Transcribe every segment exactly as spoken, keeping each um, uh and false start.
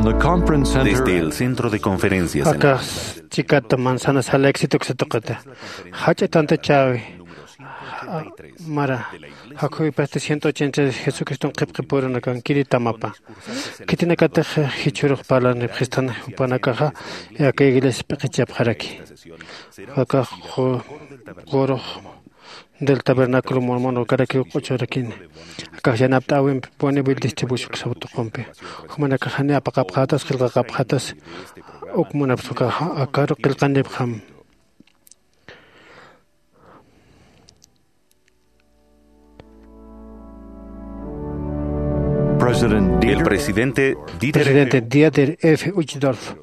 Desde el centro de conferencias en Akax chikata manzana sala éxito que se toqueta. Jach'a tanta chawi. Mara. Jakuy pasti ciento ochenta Jesucristo qipqipuruna kan kiri tamapa. Kitinakatax jichhurux parlanipxistan jupanakaxa aka iglesia p'iqichapxaraki. Akax qurux del tabernáculo mormón ukarakiw q'uchurakini. Akax yanapt'äwimpi Bonneville distribución sabtuqumpi. Jumanakaxani apaqapxatas qillqaqapxatas uk munapsukaxa akaru qillqanipxam. El presidente Dieter Presidente Dieter F. Uchtdorf,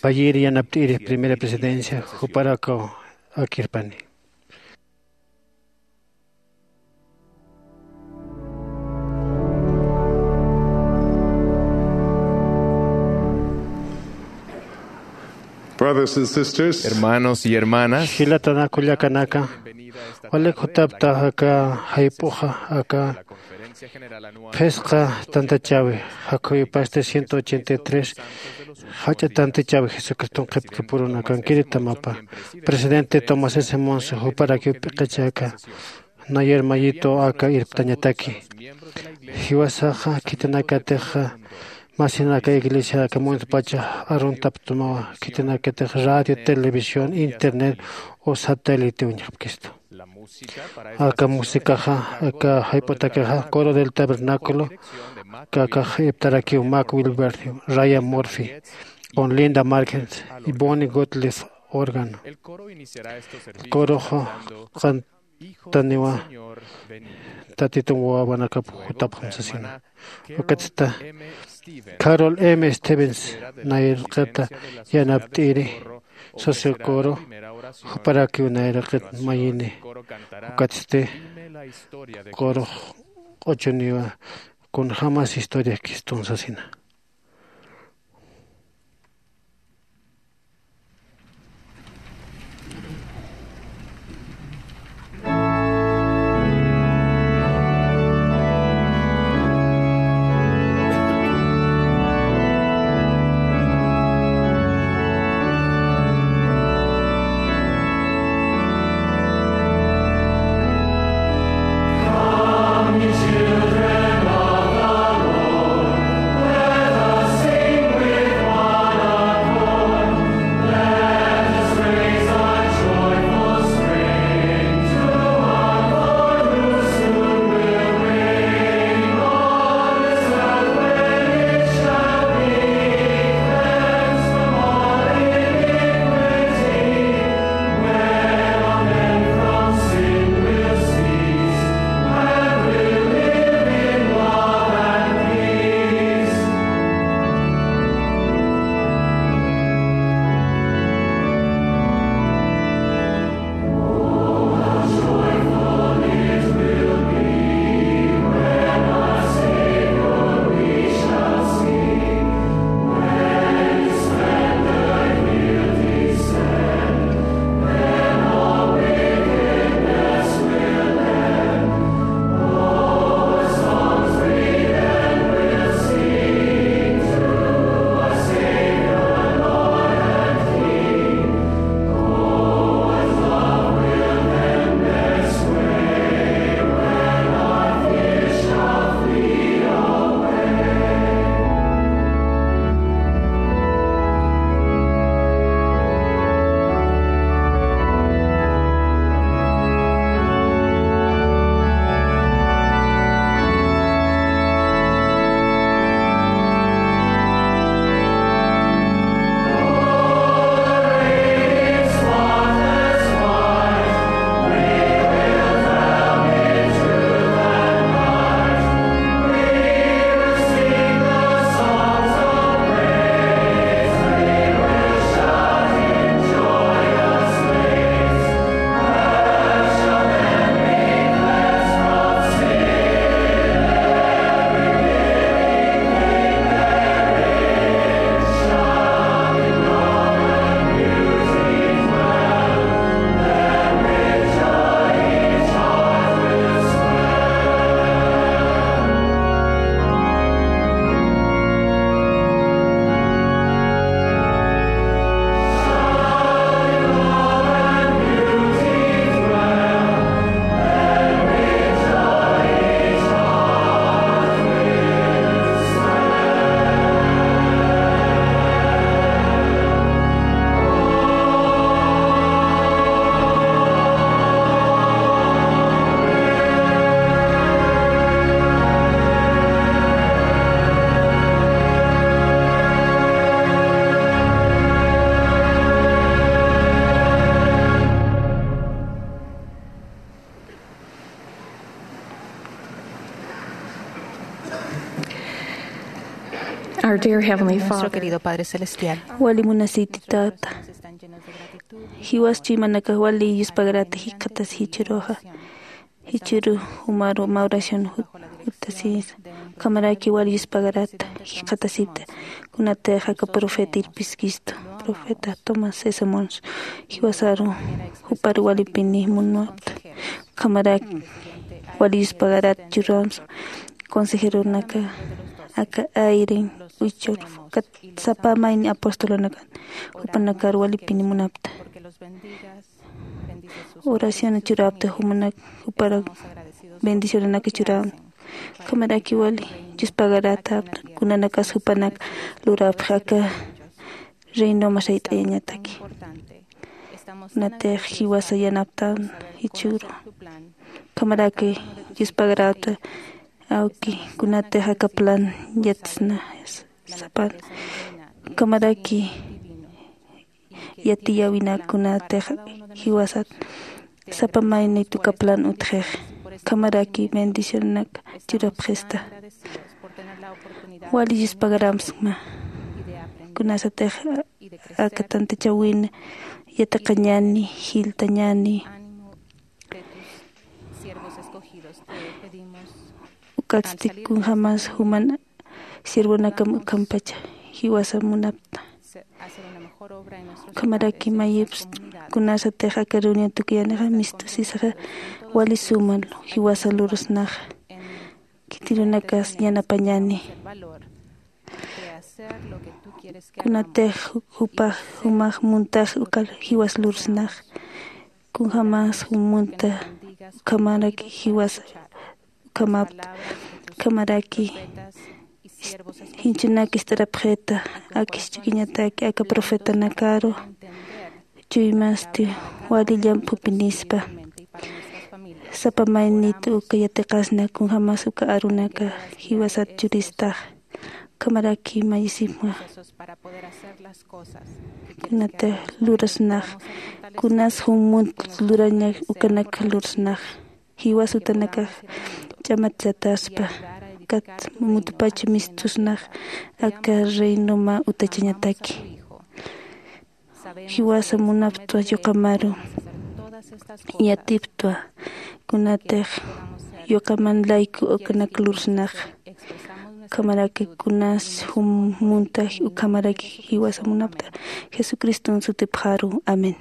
payir yanapt'iri primera presidencia, juparakaw akirpani. Brothers and sisters, hermanos y hermanas, jilatanakullakanaka, walik jutapta aka jayp'uxa aka phisqa tantachawi, jakhuyu pasti ciento ochenta y tres, jach'a tantachawi Jesucriston qhipkipuruna kankiri tamapa. Presidente Tomás S. Monson juparakiw p'iqichaka, nayer mayito aka irptañataki. Jiwasaxa khitinakatixa masinaka iglesia aka mundo pacha aruntaptumawa, khitinakatix radio, televisión, internet o satélite uñjapkistu. Aka musicaxa aka jayp'utakixa coro del tabernáculo, kakax irptarakiw Mac Wilberg, Ryan Murphy, con Linda Markens y Bonnie Gottlieb órgano. Coroxa qantaniwa Tatitum wawanakap jutapxam sasina. Ukatsta Carol M. Stevens nayraqata yanapt'iri, socio coro, juparakiw nayraqat mayini. Ukatsti coro q'uchuniwa kunjamas historia kistun sasina. Our dear Heavenly Nuestro Father, querido Padre Celestial. Wali munasiti tata. Jiwas chuymanakax wali yuspagarata jikxatasi jichhüruxa. Jichhüru jumaru mä oración jut-, jutasisa. Ukhamaraki wali yuspagarata jikxatasipta. Kunatix aka profeta irpiskistu. Profeta Thomas S. Monson. Jiwasaru juparu walipini munapta. Ukhamaraki wali yuspagarat churamsa consejeronaka aka Eyring, Uchur, kat sapa mayni apostolonakan jupanakar walipini munapta. Oración churapta jumanak jupara bendicionanaka churam. Ukhamaraki wali yuspagaratapta kunanakas jupanak lurapxi aka reino masayt'ayañataki. Kunatix jiwasa yanaptan jichhüru. Ukhamaraki yuspagarata awki kunatix aka plan yatsna sapan. Ukhamaraki yatiyäwinak kunatix jiwasat sapa maynit uka plan utjix. Ukhamaraki bendicionanak churapxista. Wali yuspagaramsma. Kunasatix aka tantachawin yatiqañäni, jiltañäni. Ukatsti kunjämas juman siervonakam ukhampacha jiwasa munapta. Ukhamaraki mayipst kunasatix aka reunión tukuyanixa mistusisxa wali suma jiwasa lurasnaxa. Khitirunakas yanapañäni. Kunatix jupax jumax muntax uka jiwas lurasnax. Kunjämas jum munta ukhamaraki jiwas ukhamapta. Ukhamaraki jinchunak ist'arapxita. Akis chukiñataki aka profetanakaru chuymasti wali llamp'upinispa. Sapa maynit uka yatiqasna kunjämas uka arunaka jiwasat churistax. Ukhamaraki mayisipma. Kunatix lurasnax kunas jum munt luraña ukanak lurasnax. Jiwas utanakax ch'amatchataspa. Kat mutupach mistusnax aka reino mä utachañataki. Jiwasa munaptwa yuqamaru yatiptwa. Kunatix yuqaman layku ukanak lurasnax. Ukhamaraki kunas jum munta ukhamaraki jiwasa munapta. Jesucriston sutipxaru. Amén.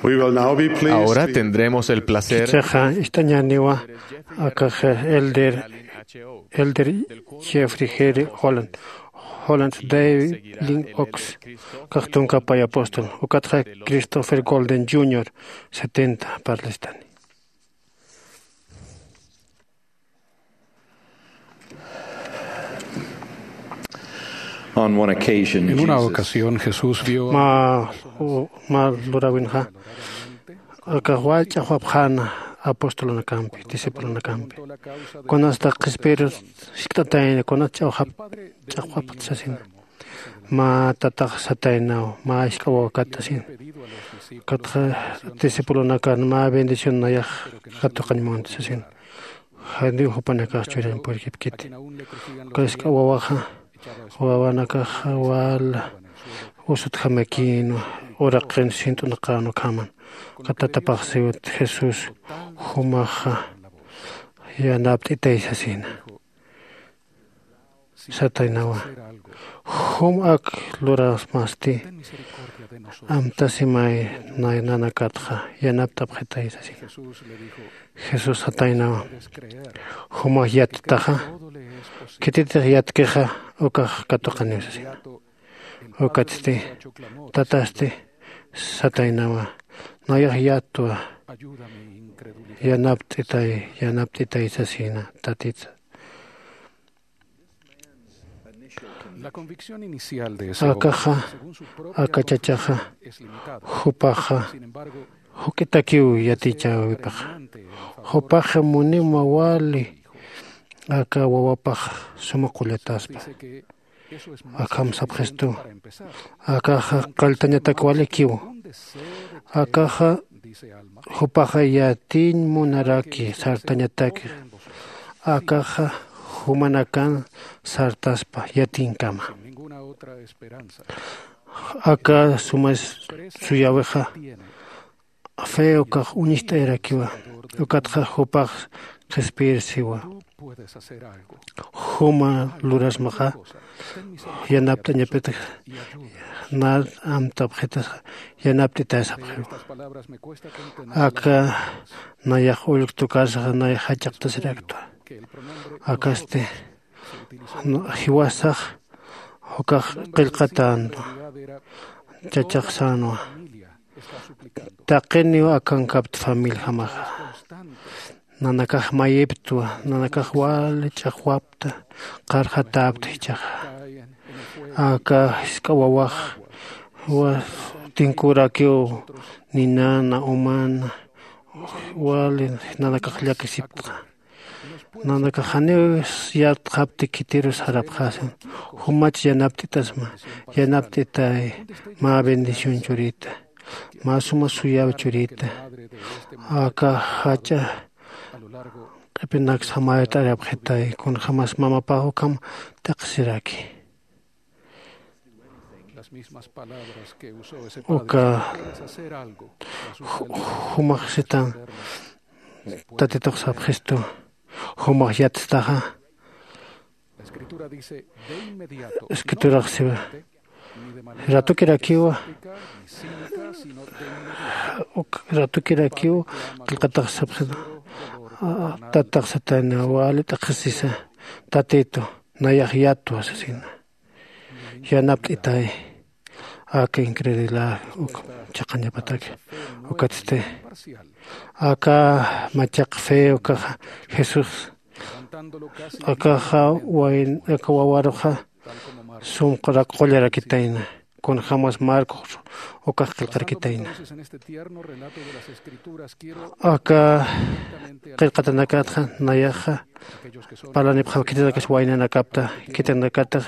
We will now be pleased Ahora to tendremos el placer Chichaxa ist'añaniwa akax elder, elder Jeffrey G. Holland, Holland David Lynn Oaks, kax tunka pay apóstol, ukatxa Christopher Golden junior, setenta, parlistani. On one occasion, En una Jesus ocasión Jesús vio a ma u- ma lurawinxa akax wal ch'axwapxäna apostolunakampi, discipulonakampi, kunasta qhispiyirus jisk'atayna, kunas ch'axwap ch'axwapxta sasina. Mä tatax sataynaw, mä jisk'a wawakat sasina. Ukatxa discipulonakan mä bendición nayax katuqañ munti sasina. Janiw jupanakax churiñ purkipkiti. Uka jisk'a wawaxa, wawanakaxa wal usutjamakïnwa, uraqin sint'unaqän ukhaman. Uka tatapax siwt Jesús, jumaxa yanapt'itay sasina. Sataynawa, jum ak lurasmasti, amtasimay nay nanakatxa yanapt'apxitay sasina. Jesús sataynawa, jumax yattaxa, khititix yatkixa ukax katuqaniw sasina. Ukatsti tatasti sataynawa, nayax yattwa, yanapt'itay, yanapt'itay sasina tatitsa. Akaxa, aka chachaxa, jupaxa juk'itakiw yatichäwipaxa. Jupaxa muniw mä wali aka wawapax suma qullataspa. Akham sapxistu, akaxa qalltañatak walikiw. Akaxa jupaxa yatiñ munaraki sartañatak. Akaxa jumanakan sartaspa yatinkama. Aka sumas suyäwixa fe ukax uñist'ayarakiwa. Ukatxa jupax qhispiyir siwa, juma lurasmaxa yanapt'añapitix, nar amtapxitas yanapt'itay sapxiwa. Aka nayax ullk tukarsaxa nayax jach'aqtasiraktwa. Akasti jiwasax ukax qillqatänwa, chachax sänwa. Taqiniw akankapta familijamaxa. Nanakax mayiptwa, nanakax wali ch'axwapta, qarxatäpta jichhaxa. Aka jisk'a wawax wa- tinkurakiw ninana umana, wali nanakax llakisiptxa. Nanakax janiw yatxapti khitirus sarapxasin. Jumach yanapt'itasma, yanapt'itay, mä bendición churita, mä suma suyaw churita. Aka jach'a q'ipinak samayt'arapxitay, kunjämas mamapax ukham t'iqsiraki. Uka ju- jumax sitan, tatitux sapxistu, jumax yatstaxa. Escriturax siwa, ratukirakiwa, uk- ratukirakiw, qillqatax sapxistu, tatax satayna wali t'aqhisisa, tatitu, nayax yatwa sasina. Yanapt'itay aka incredulidad uk chhaqañapataki. Ukatsti aka machaq fe ukaxa Jesús akaxa wayn aka wawaruxa sumq'urak qullarakitayna. Kunjämas Marcos ukax qillqarakitayna. Aka qillqatanakatxa nayaxa parlanipxam khitinakas waynanakapta, khitinakatix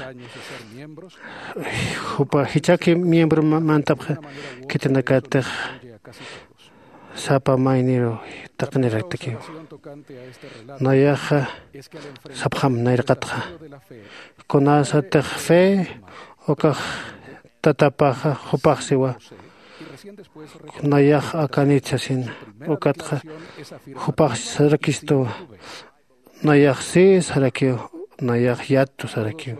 jupa jichhaki miembro ma- mantapxa khitinakatix sapa mayniru taqiniraktakiw. Nayaxa sapxam nayraqatxa, kunasatix fe ukax tatapaxa jupax siwa, nayax akanit sasin. Ukatxa jupax sarakistuwa, nayax si sarakiw, nayax yattu sarakiw.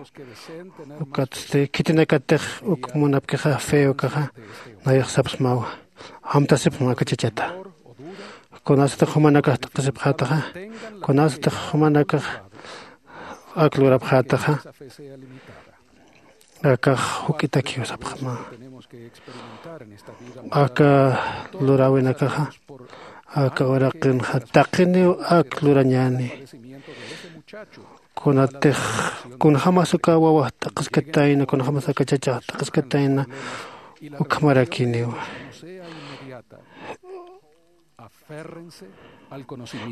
Ukatsti khitinakatix uk munapkixa fe ukaxa nayax sapsmawa, amtasipxam akachachata. Kunasatix jumanakax t'aqhisipxätaxa, kunasatix jumanakax ak lurapxätaxa, akax juk'itakiw sapxama. Aka luräwinakaxa aka uraqinxa taqiniw ak lurañäni. Kunatix kunjämas uka wawax t'aqhiskatayna, kunjämas aka chachax t'aqhiskatayna, ukhamarakiniw.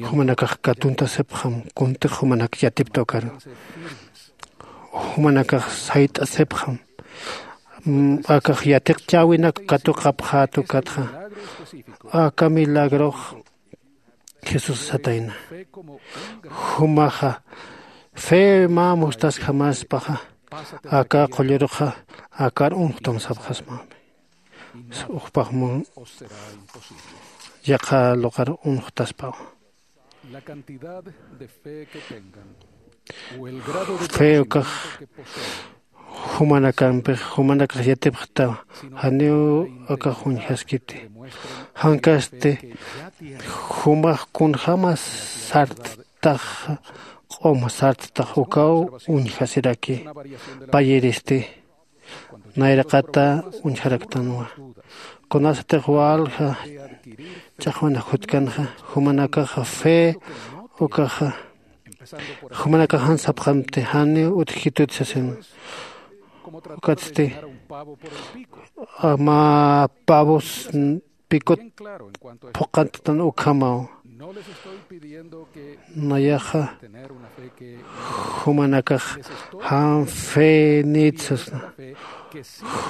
Jumanakax katuntasipxam, kuntix jumanak yatipta ukaru. Jumanakax sayt'asipxam, akax yatiqchäwinak katuqapxät ukatxa. Aka milagrox Jesús satayna, jumaxa fe mä mustasjamaspaxa aka qulluruxa akar unxtam sapxasmami. Jupax mun yaqha lugar unxtaspaw. Fe ukax jumanakampix, jumanakax yatipxtaw, janiw akax uñjaskiti. Jankasti jumax kunjämas sarttax, q'um sarttax ukaw uñjasiraki. Payiristi nayraqata uñjaraktanwa. Kunasatix walja ch'axwanax jutkanxa, jumanakaxa fe ukaxa, jumanakax jan sapxamti, janiw utjkitut sasin. Ukatsti mä pavos pikut phuqanttan ukhamaw. Nayaxa jumanakax jan fe nit sasna.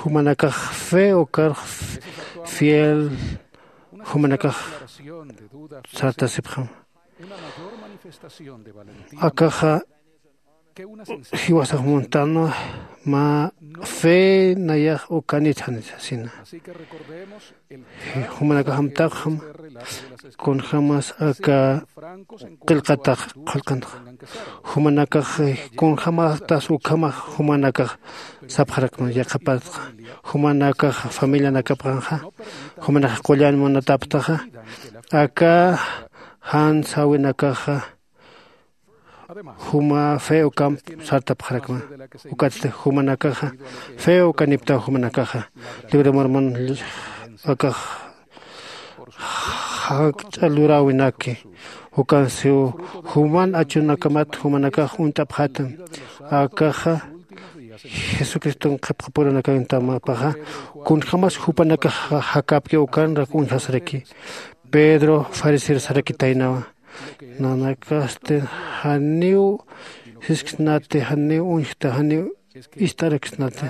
Jumanakax fe ukar fiel jumanakax sartasipxam. Akaxa jiwasax muntanwa mä fe nayax ukanit janit sasina. Jumanakax amtapxam kunjämas aka qillqatax qillqanxa. Jumanakax kunjämatas ukhamax jumanakax sapxarakma yaqhapatxa. Jumanakax familianakapxanxa, jumanakax qullan munatapxtaxa, aka jan säwinakaxa juma fe ukamp sartapxarakma. Ukatsti jumanakaxa fe ukaniptaw jumanakaxa. Libro de Mormon akax jakch'a luräwinaki. Ukansiw juman achunakamat jumanakax uñt'apxätam. Akaxa Jesucriston qhipqapuranakantamäpaxa, kunjämas jupanakax jakäpki ukanrak uñjasaraki. Pedro fariseo sarakitaynawa. Nanakasti janiw sisksnati, janiw uñjta, janiw ist'araksnati.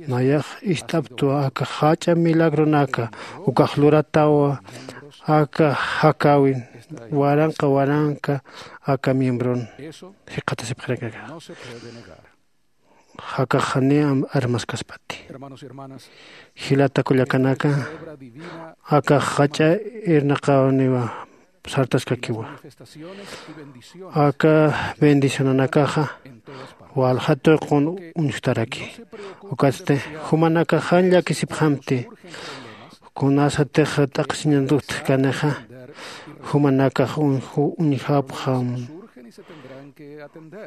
Nayax ist'aptwa aka jach'a milagronaka ukax luratawa aka jakäwin waranqa waranqa aka miembron jikxatasipxarakaka. Jakax janiw armaskaspati. Jilata kullakanaka, akax jach'a irnaqäwniwa sartaskakiwa. Aka bendicionanakaxa walja tuqun uñjtaraki. Ukatsti jumanakax jan llakisipxamti. Kunasatix t'aqhisiñant'uktjkanixa jumanakax uñjapxam.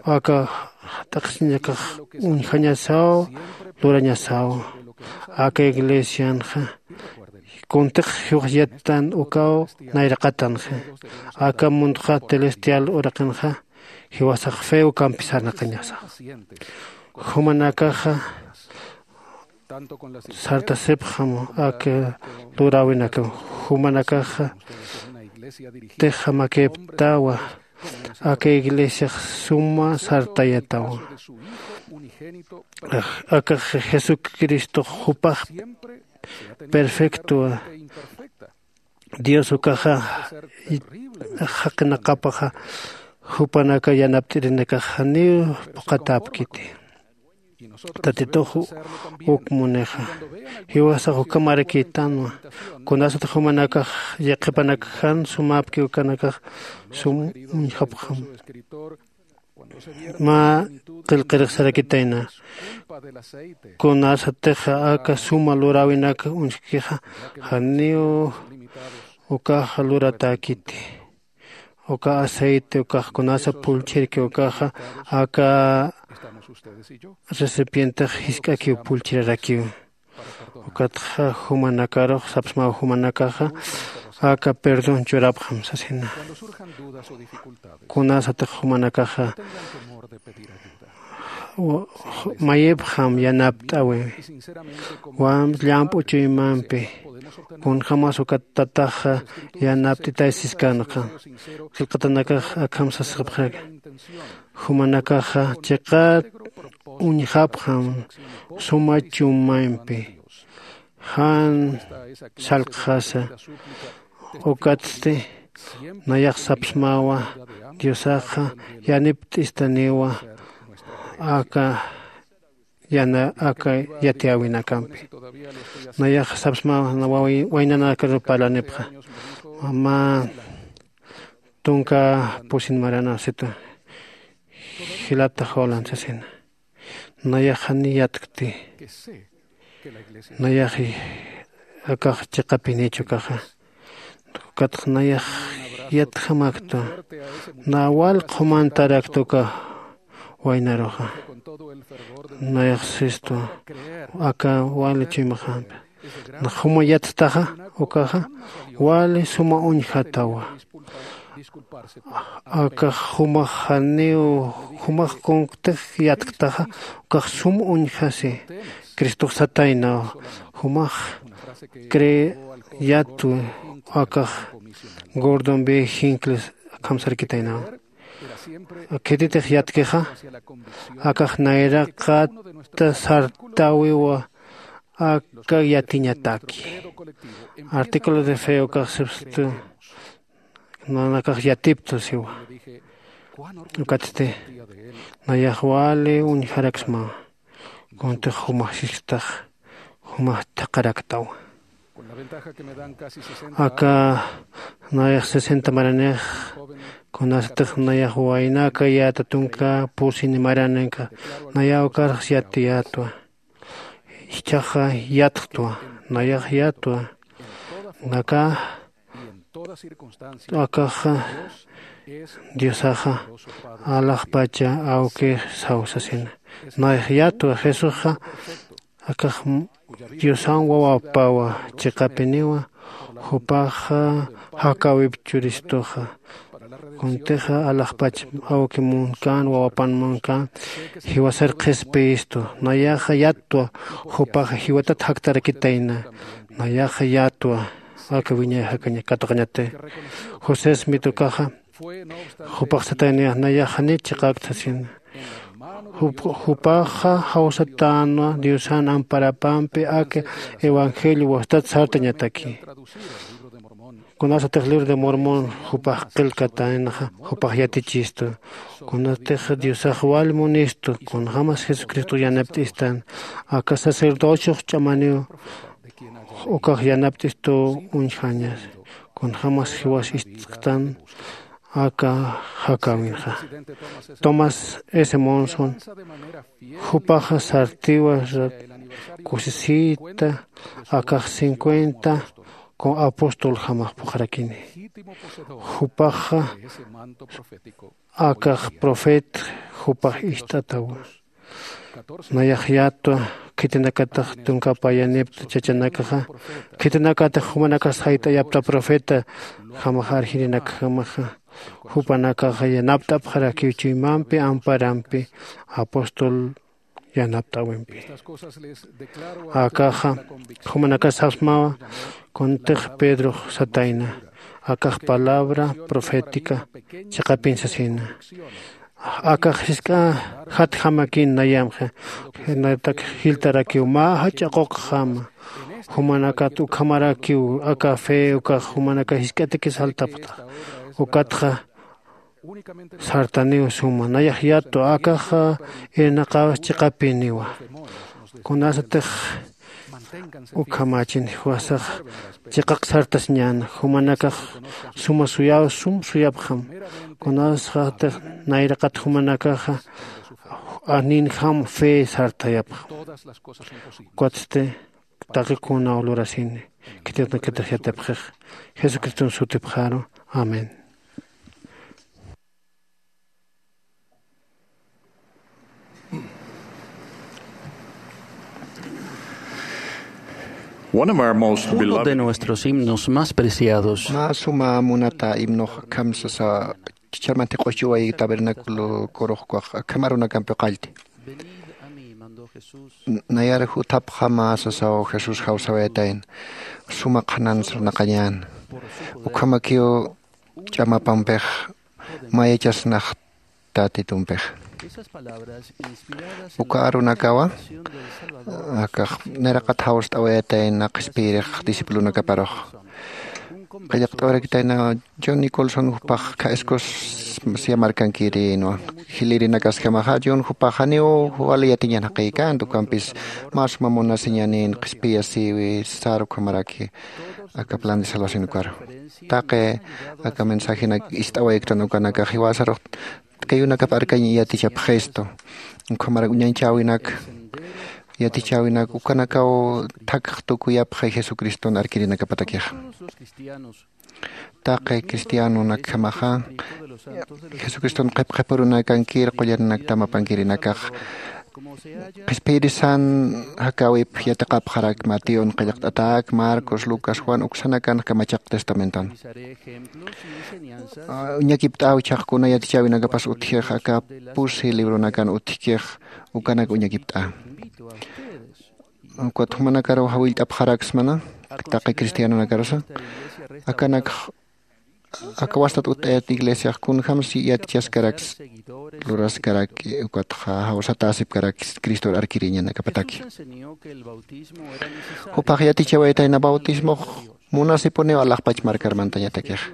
Aka t'aqhisiñakax uñjañasaw, lurañasaw. Aka iglesianxa kuntix jiwax yattan ukaw nayraqatanxa. Aka mundoxa celestial uraqinxa jiwasax fe ukampi sarnaqañasa. Jumanakaxa sartasipxam aka luräwinakam. Jumanakaxa tixamakiptawa aka iglesiax suma sartayatawa. Akax Jesucristox jupax perfectowa. Dios ukaxa jaqinaqapaxa jupanaka yanapt'irinakax janiw phuqhatäpkiti. Tatitux uk munixa jiwasax ukhamarakïtanwa. Kunasatix jumanakax yaqhipanakax jan sumäpki ukanakax sum uñjapxam. Mä qillqirixsarakitayna. Kunasatix aka suma luräwinak uñjkixa, janiw ukaxa luratäkiti. Uka aceite ukax kunasa pullchirki ukaxa aka recipientex jisk'akiw pullchirarakiw. Ukatxa jumanakarux sapsmaw jumanakaxa aka perdón churapxam sasina. Kunasatix jumanakaxa mayipxam yanapt'awi. Wamp llamp'u chuymampi kunjämas ukat tataxa yanapt'itay siskanxa. Qillqatanakax akham sasxapxaraki. Jumanakaxa chiqat uñjapxam suma chuymampi jan sallqxasa. Ukatsti nayax sapsmawa diosaxa yanipt'istaniwa aka yana aka yatiyäwinakampi. Nayax sapsmawa waynanakaru parlanipxa mä tunka pusin marana situ jilata jolan sasina. Nayax jani yatkti nayax akax chiqapinichu kaxa. Ukatx nayax yatjamakta na wal qhumantarakta uka waynaruxa. Nayax sistu aka wali chuymaxampi nax juma yattaxa ukaxa wali suma uñjatawa. Akax jumax janiw jumax kunkutix yatktaxa ukax sum uñjasi. Cristox sataynaw jumax cree yatwi. Akax gordon b jincles akham sarkitaynaw khititix yatkixa akax nayraqata sartäwiwa. Aka yatiñataki artículo de fe ukax sipstu nanakax yatiptu siwa. Ukatsti nayax wali uñjaraksmawa kuntix jumax sisktax jumax thaqharaktawa. Aka nayax sesenta maranix kunasatix nayax waynaka yäta tunka pusini marananka naya ukarx yatiyätwa. Jichhaxa yatxtwa nayax yätwa naka akaxa diosaxa alaxpacha awki saw sasina. Nayax yätwa jesusxa akax diosan wawapawa chiqapiniwa. Jupaxa jakäwip churistuxa kuntixa alaxpach awki munkän wawapan munkän jiwasar qhispiyistu. Nayaxa yätwa jupaxa jiwatat jaktarakitayna. Nayaxa yätwa aka wiñay jakaña katuqañati. José smith ukaxa jupax sataynayax nayax janit chiqäkta sasina. Jupaxa jawsatänwa diosan amparapampi aka evangelio wastat sartañataki. Kunasatix libro de mormón jupax qillkatänxa jupax yatichistu. Kunatix diosax wal munistu kunjämas jesucristo yanapt'istan aka sacerdociox ch'amaniw ukax yanapt'istuw uñjañas. Kunjämas jiwas ist'ktan aka jakäwinxa. Tomás s monson jupaxa sartiwa kusisita akax cincuenta apostol jamax phuqharakini. Jupaxa akax profet jupax ist'atawa. Nayax yätwa khitinakatix tunka payanipta chachanakaxa khitinakatix jumanakas jayt'ayapta profeta jamax arjirinakjamaxa. Jupanakaxa yanapt'apxarakiw chuymampi amparampi apóstol yanapt'äwimpi. Akaxa jumanakas sapsmawa kuntix pedrox satayna akax palabra profética chiqapin sasina. Akax jisk'a jatjamakin nayamxa jiltarakiw mä jach'a quqjama. Jumanakat ukhamarakiw aka fe ukax jumanakax jisk'atakis jaltapxtax. Ukatxa sartaniw suma nayax yätwa akaxa irnaqäwis chiqapiniwa. Kunasatix Ukhamachin jiwasax chiqaq sartasiñäna, jumanakax suma suyaw sum suyapxam. Kunasxatix nayraqat jumanakaxa aninjam fe sartayapxam. Ukatsti taqi kunaw lurasini khitinakatix yatipxix. Jesucriston sutipxaru. Amén. One of our most Uno de beloved nuestros himnos más preciados. Mä suma munata himnox akham sasa, chicharmanti q'uchuway tabernáculo kuruxkuax akham arunakampi qallti. Nayar juthapxama sasaw Jesús jawsawayatayna. Suma qhanan sarnaqañän. Ukhamakiw ch'amapampix mayachasnax Tatitumpix. Uka arunakawa akax nayraqat jawst'awayatayna qhispiyirix discipulonakaparux. Qillqt'awarakitayna John Nicholson jupax kha escos siyamarkankirïnwa. Jilïrinakasjamaxa John jupax janiw wali yatiñan jaqïkänti, ukampis mä suma munasiñanin qhispiyasïwi sar ukhamaraki aka plan de salvación ukaru. Taqi aka mensajenak ist'awayktan ukanakax jiwasarux kayunakap arkañ yatichapxistu. Ukhamarak uñañchäwinak, yatichäwinak ukanakaw thakx tukuyapxi Jesucriston arkirinakapatakixa. Taqi cristianonakjamaxa Jesucriston qhipqhipurunakankir qullanaktam apankirinakax qhispiyirisan jakäwip yatiqapxarak Mateon qillqt'atak, Marcos, Lucas, Juan uksanakan kamachaq testamenton. Uñakipt'äw chhaqkuna yatichäwinakapas utjix aka pusi libronakan utjkix ukanak uñakipt'a. Ukat jumanakaru jawillt'apxaraksmana taqi cristianonakarusa akanakx aka wastat utt'ayat iglesiax kunjams yatichaskaraks luraskaraki ukatxa jawsatäsipkaraki Cristor arkiriñanakapataki. Jupax yatichawayatayna bautismox munasipuniw alaxpach markarmantañatakixa.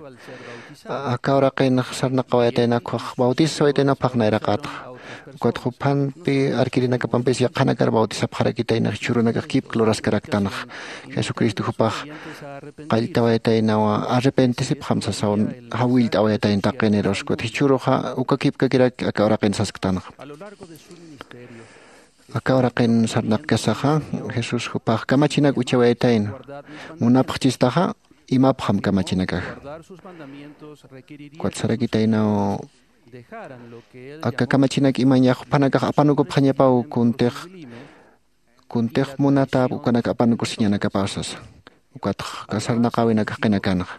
Aka uraqinx sarnaqawayatayna ukhax bautisawayatayna uphax nayraqatxa. Ukat juphanpi arkirinakapampis yaqhanakar bautisapxarakitayna jichhürunakax kipk luraskaraktanxa. Jesucristo jupax qalltawayataynawa arrepentisipxam sasaw jawillt'awayatayna taqinirus ukat jichhüruxa uka kipkakirak aka uraqin sasktanxa. Aka uraqin sarnaqkasaxa Jesús jupax kamachinak uchawayatayna. Munapxchistaxa imapxam kamachinakax. Ukat sarakitaynaw aka kamachinak imañax juphanakax apanukupxañapaw kuntix kuntix munatäp ukanak apanukusiñanakapaw sasa. Ukatx aka sarnaqäwinakax qinakanxa.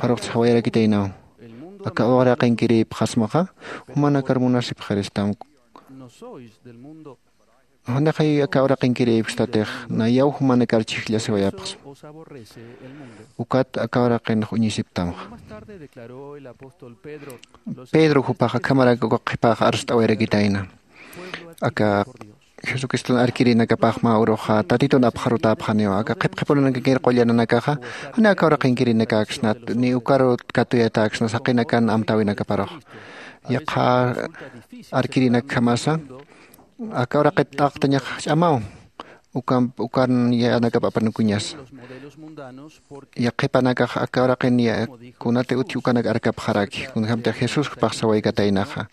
Pharuqtsa jawayarakitaynaw aka uraqinkirïpxasmaxa jumanakar munasipxiristam. Janixay aka uraqinkirïpxstatix nayaw jumanakar chhijllasiwayapxsma. Ukat aka uraqinx uñisiptamxa. Pedro jupax akhamarak uka qhipax arst'awayarakitayna aka jesucriston arkirinakapax mä uruxa tatitun apxarutäpxaniwa aka qhipqhipunanakakir qullananakaxa. Jani aka uraqinkirinakaksnat ni ukaru katuyatäksna saqinakan amtäwinakaparux. Yaqha arkirinakjamasa aka uraqit t'aqtañax ch'amaw ukan ukan yanakap apanukuñasa. Yaqhipanakax aka uraqin kunati utji ukanak arkapxaraki kunjämtix jesús jupax sawaykataynaxa.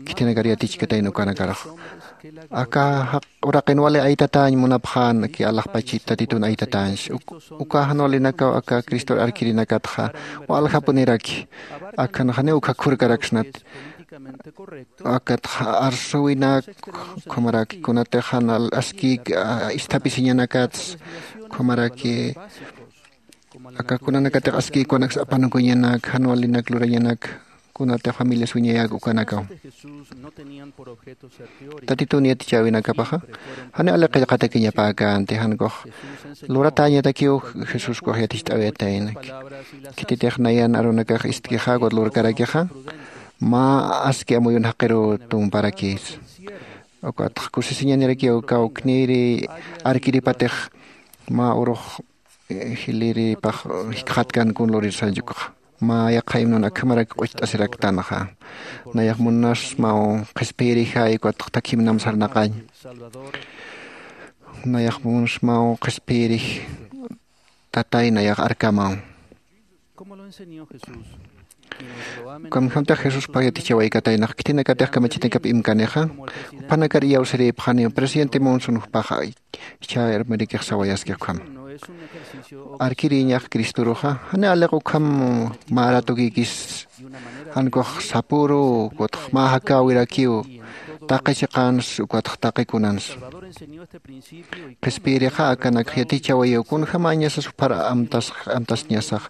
Khitinakar yatichkatayna ukanakarax aka jaq uraqin wali aytatäñ munapxän ki alaxpachit tatitun aytatäñs. Uka jan walinakaw aka cristor arkirinakatxa waljapuniraki. Akhan janiw ukkha khurkaraksnat. Akatxa arsuwinak ukhamaraki kunatix jan askïk isthapisiñanakats ukhamaraki aka kunanakatix askïk kunaks apanukuñanak jan walinak lurañanak kunatix familias wiñayäk ukanakaw. Tatitun yatichäwinakapaxa janiw ali qillqatakiñapäkänti jankux luratäñatakiw jesuskux yaticht'awayatayna. Khititix nayan arunakax istkixa ukat lurkarakixa mä aski amuyun jaqiruw tumparakïsa. Ukatx kusisiñanirakiw kawknïri arkiripatix mä urux jilïripax jikxatkan kun lurirsañchukxa. Mä yaqha himnon akhamarak q'ucht'asiraktanxa. Nayax munasmaw qhispiyirixay ukatx takhimnam sarnaqañ. Nayax munsmaw qhispiyirix tatay nayax arkamaw. Ukamjamtax jesuspa yatichawaykataynax khitinakatix kamachitankap imkanixa, juphanakar iyawsirïpxaniw presidente monson juphaxa. Ichha irmirikix sawayaskix ukhama. Arkirïñax cristoruxa jani aliq ukham mä ratukïkis, jan ukax sapüru ukatx mä jakäwirakiw taqi chiqans ukatx taqi kunans. Qhispiyirixa akanakx yatichawayiw kunjämañasas juphar amtasiñasax,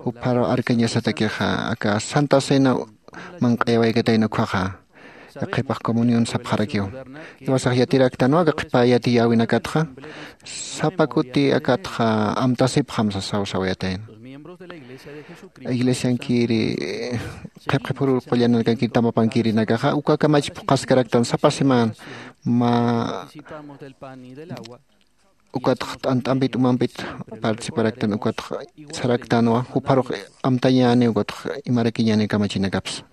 juphar arkañasatakixa aka santa cena manq'ayawaykatayna ukkhaxa. Yaqhipax comunión sapxarakiw. Iwasax yatiraktanwa aka qhipa yatiyäwinakatxa sapa kuti akatxa amtasipxam sasaw sawayatayna. Iglesiankiri qhipqhipuru qullananakankiri tamapankirinakaxa ukakamach phuqhaskaraktan sapa semana mä ukatx t'ant'ampit umampit participaraktan ukatx saraktanwa jupharux amtañäni ukatx imarakiñäni kamachinakapsa.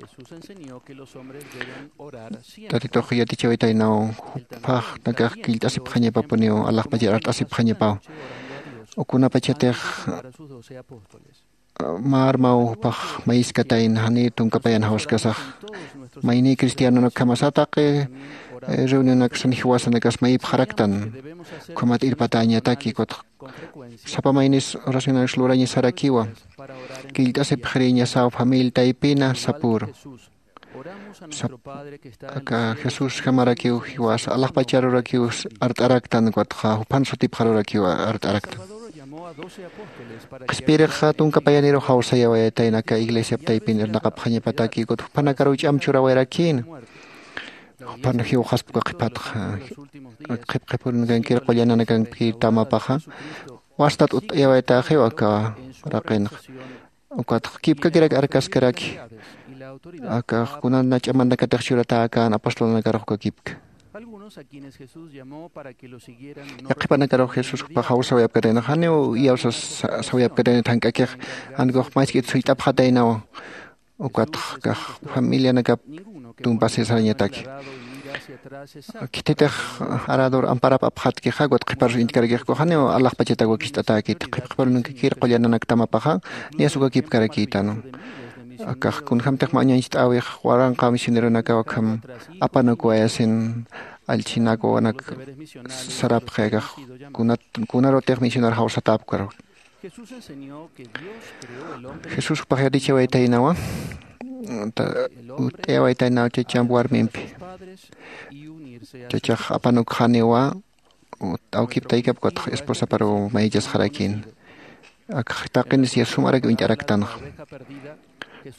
Tatitux yatichawitaynaw juphaxnakax killt'asipxañapapuniw alaxpachar art'asipxañapaw. Ukunapachatix marmaw jupax mayiskatayna janiw tunkapayan jawskasax. Mayniy cristianonakjamasa taqi reunionaksan jiwasanakas mayipxaraktan. Ukhamat irpatäñataki ukatx sapa maynis oracionanaksa lurañasarakiwa. Killt'asipxirïñasaw familia taypina sapüru. Aka jesusjamarakiw jiwasa alaxpacharurakiw art'araktan ukatxa juphan sutipxarurakiw art'araktan. Qhispiyirixa tunka payanirux jawsayawayatayna aka iglesiap taypin irnaqapxañapataki ukat juphanakaruw ch'am churawayarakïna. Juphan jiwxaspa uka qhiphatxa qhipqhipurunakankir qullananakankir tamapaxa wastat utt'ayawaytäxiw aka raqinxa. Ukatx kipkakirak arkaskaraki akax kunana ch'amanakatix churatäkän apostolanakarux uka kipka. Yaqhipanakarux jesús jupax jawsawayapkatayna janiw iyawsas sawayapkatayna thank'akix. Jankux mask'it sullt'apxataynawa. Ukatx kax familianakap tumpasir sarañataki. Khititix arador amparap apxatkixa ukatx qhiparus intkarakix ukax janiw alaxpachatak wakicht'atäkiti qhipqhiparunakakir qullananakta tamapaxa. Niyas uka kipkarakïtanu. Akax kunjämtix mä uñancht'äwix waranqa misioneronakaw akham apanukuwayasin allchhinakwanak sarapxi akax kunarutix misionar jawsatäpkaru. Jesús jupax yatichawaytaynawa utt'ayawaytaynaw chachamp warmimpi. Chachax apanukxaniwa awkip taykap ukatx esposaparuw mayichasxarakïn. Akax taqinis yasum arak uñt'araktanxa.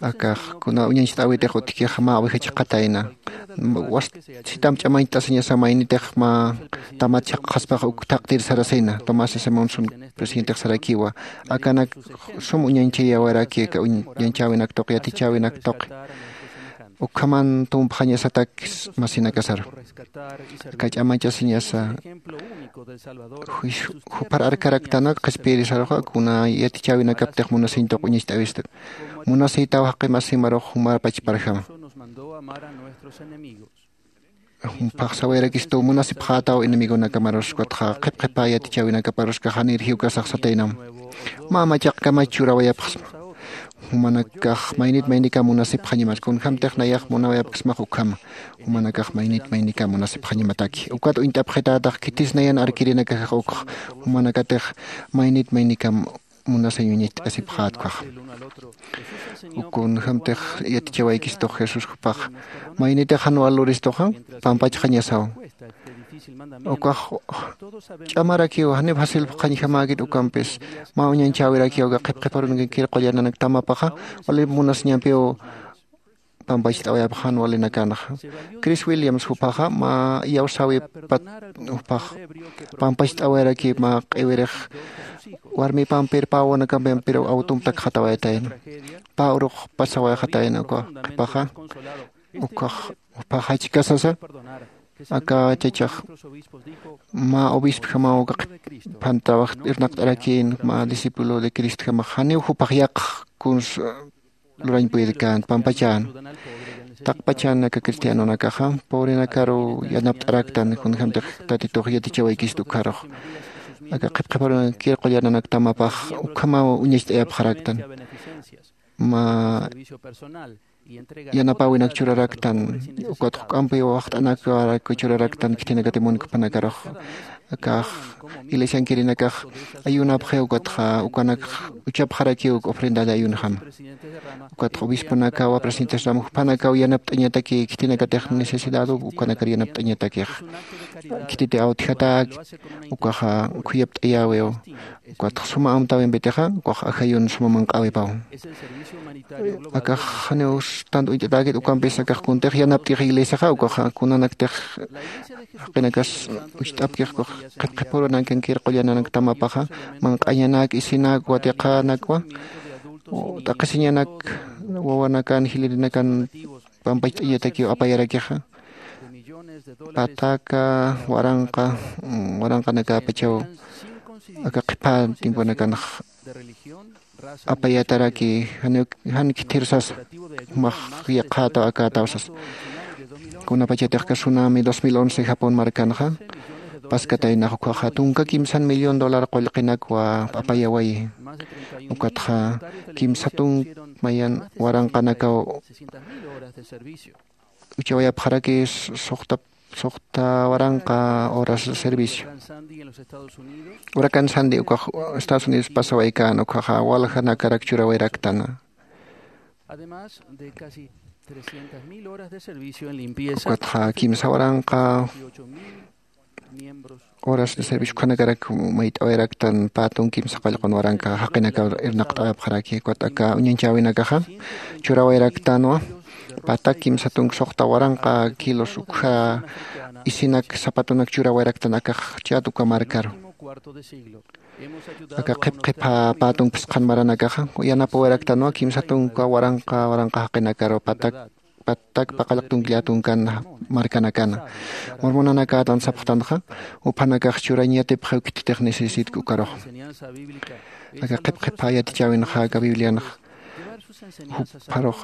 Akax kuna uñancht'äwitix utjkix mä oveja chiqatayna. Sitamp ch'amañcht'asiñasa maynitix mä tamat chhaqxaspax uk thaqtir sarasina tomás simonson presidentix sarakiwa. Akanak sum uñanchayäwaraki aka uñanchäwinak tuqi yatichäwinak tuqi. Ukhaman tumpxañasatak masinakasaru. Aka ch'amañchasiñasa jupar arkaraktanwa qhispiyirisaruxa kuna yatichäwinakaptix munasiñ tuq uñacht'äwista. Munasïtaw jaqi masimarux jumar pachparjama. Jumphax sawayarakistu munasipxätaw enemigonakamarus ukatxa qhipqhipä yatichäwinakaparus kaxanir jiwkasax sataynam. Mä machaqkamach churawayapxsma. Jumanakax maynit maynikam munasipxañamat kunjämtix nayax munawayapksmax ukhama. Jumanakax maynit maynikam munasipxañamataki ukat uñt'apxitätax khitis nayan arkirinakajax ukx. Jumanakatix maynit maynikam munasiñ uñacht'asipxätkwaxa. Kunjämtix yatichawaykistux jesús jupax maynitix jan waluristuxa pampachxañasaw. Ukax ch'amarakiw janiw facil phuqhañjamäkit ukampis mä uñanchäwirakiw aka qhipqhiparunkankir qullananak tamapaxa wali munasiñampiw pampacht'awayapxan walinakanxa. Chris williams jupaxa mä iyawsäwipat jupax pampacht'awayaraki mä q'iwirix warmipampir pä wawanakampir awtump takxatawayatayna. Pä urux pasawayxatayna uka qhipaxa ukax jupax jachkasasa aka chachax mä obispjamaw uka qhiphan trabajo irnaqt'arakïn mä discípulo de cristjamax janiw jupax yaqx kuns lurañ puydkän pampachän. Taqpachan aka cristianonakaxa pobrenakaru yanapt'araktan, kunjämtix tatitux yatichawaykista ukharux. Aka qhipqhiparunakir qullananakta mapax ukhamaw uñacht'ayapxaraktan. Mä yanapäwinak churaraktan, ukatx juk'ampi waxt'anakaraku churaraktan khitinakati munkpanakarux. Akax iglesiankirinakax ayunapxiw, ukatxa ukanakx uchapxarakiw uk ofrenda de ayunjama. Ukatxa obisponakawa, presidentes rama jupanakaw yanapt'añataki khitinakatix necesidad ukanakar yanapt'añatakix. Khititi awtjatäki, ukaxa khuyapt'ayäwiw. Ukatxa suma amtäwimpitixa ukax ajayun suma manq'äwipaw. Akax janiw tant uñt'atäkit, ukampis akax kuntix yanapt'ix iglesiaxa, ukaxa kunanaktix jaqinakas ucht'apkix ukax qhipqhipurunakankir qullananakta mapaxa, manq'añanak, isinak, watiqanakwa, t'aqhisiñanak, wawanakan, jilirinakan pampacht'añatakiw apayarakixa. Pataka waranqa, mm, waranqanakapachaw aka qhipa tiemponakanx apayataraki, jan, jan khithir sasa, jumax yaqhätaw akätaw sasa. Kunapachatix aka tsunami dos mil once Japón markanxa paskataynax, ukhaxa tunka kimsan millón dólar qullqinakwa apayawayi. Ukatxa kimsa tunk mayan waranqanakaw uchawayapxaraki suxta, suxta waranqa horas de servicio. Huracán Sandy ukax Estados Unidos pasawaykan, ukhaxa waljanakarak churawayraktan. Ukatxa kimsa waranqa horas de servicio ukhanakarak mayt'awayraktan, pä tunk kimsa qallqun waranqa jaqinakaw irnaqt'awayapxaraki. Ukat aka uñanchäwinakaxa churawayraktanwa, patak kimsa tunk suxta waranqa kilos ukha isinak sapatunak churawayraktan akax chat uka markaru. Aka qhipqhipha pä tunk phisqhan maranakaxa yanapawayraktanwa kimsa tunka waranqa waranqa jaqinakaru, patak patak paqallq tunkllätunkan markanakana. Mormonanakätan sapxtanxa, juphanakax churañ yatipxiw khititix necesitki ukarux. Aka qhipqhipha yatichäwinxa aka Biblianx jupharux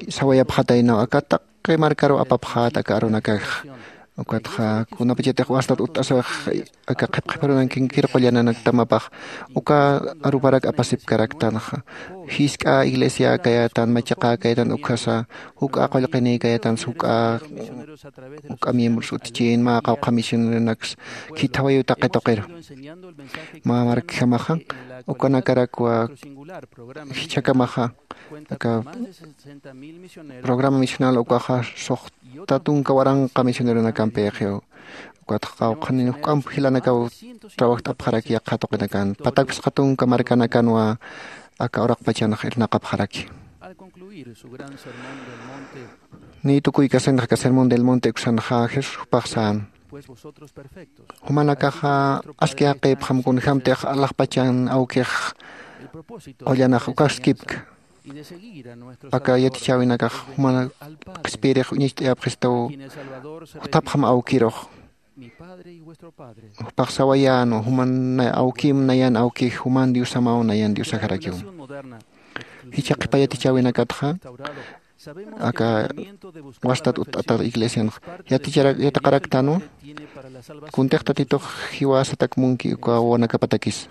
sawayapxataynaw, aka taqi markaru apapxät aka arunakax. Ukatxa kunapachatix wastat utt'asix aka qhipqhipharunakankir qullananakta mapax uka aruparak apasipkaraktanxa. Jisk'a iglesia kayätan, machaqä kayätan, ukhasa juk'a qullqinï kayätan, juk'a, juk'a miembros utjchin, mä qawqha misioneronaks khithawayuw taqi tuqiru. Mä markjamaxa ukanakarakwa jichhakamaxa aka programa misional ukaxa suxta tunka waranqa misioneronakampïxiw. Ukatxa qawqhanin juk'amp jilanakaw trabajt'apxaraki yaqha tuqinakan. Patak phisqa tunka markanakanwa aka uraqpachanx irnaqapxaraki. Niy tukuykasinx aka Sermón del Monte uksanxa Jesús jupax sän. Jumanakaxa aski jaqïpxam kunjämtix alaxpachan awkix qullanax ukaskipk. Aka yatichäwinakax juman qhispiyirix uñacht'ayapxistaw, juthapxam awkirux. Jupax sawayänwa, juman awkim nayan awkix, juman Diosamaw nayan Diosaxarakiw. Jichha qhipa yatichäwinakatxa aka wastat utt'atat iglesianx yatichara-, yatiqaraktanwa. Kuntix Tatitux jiwasatak munki uka wawanakapatakis.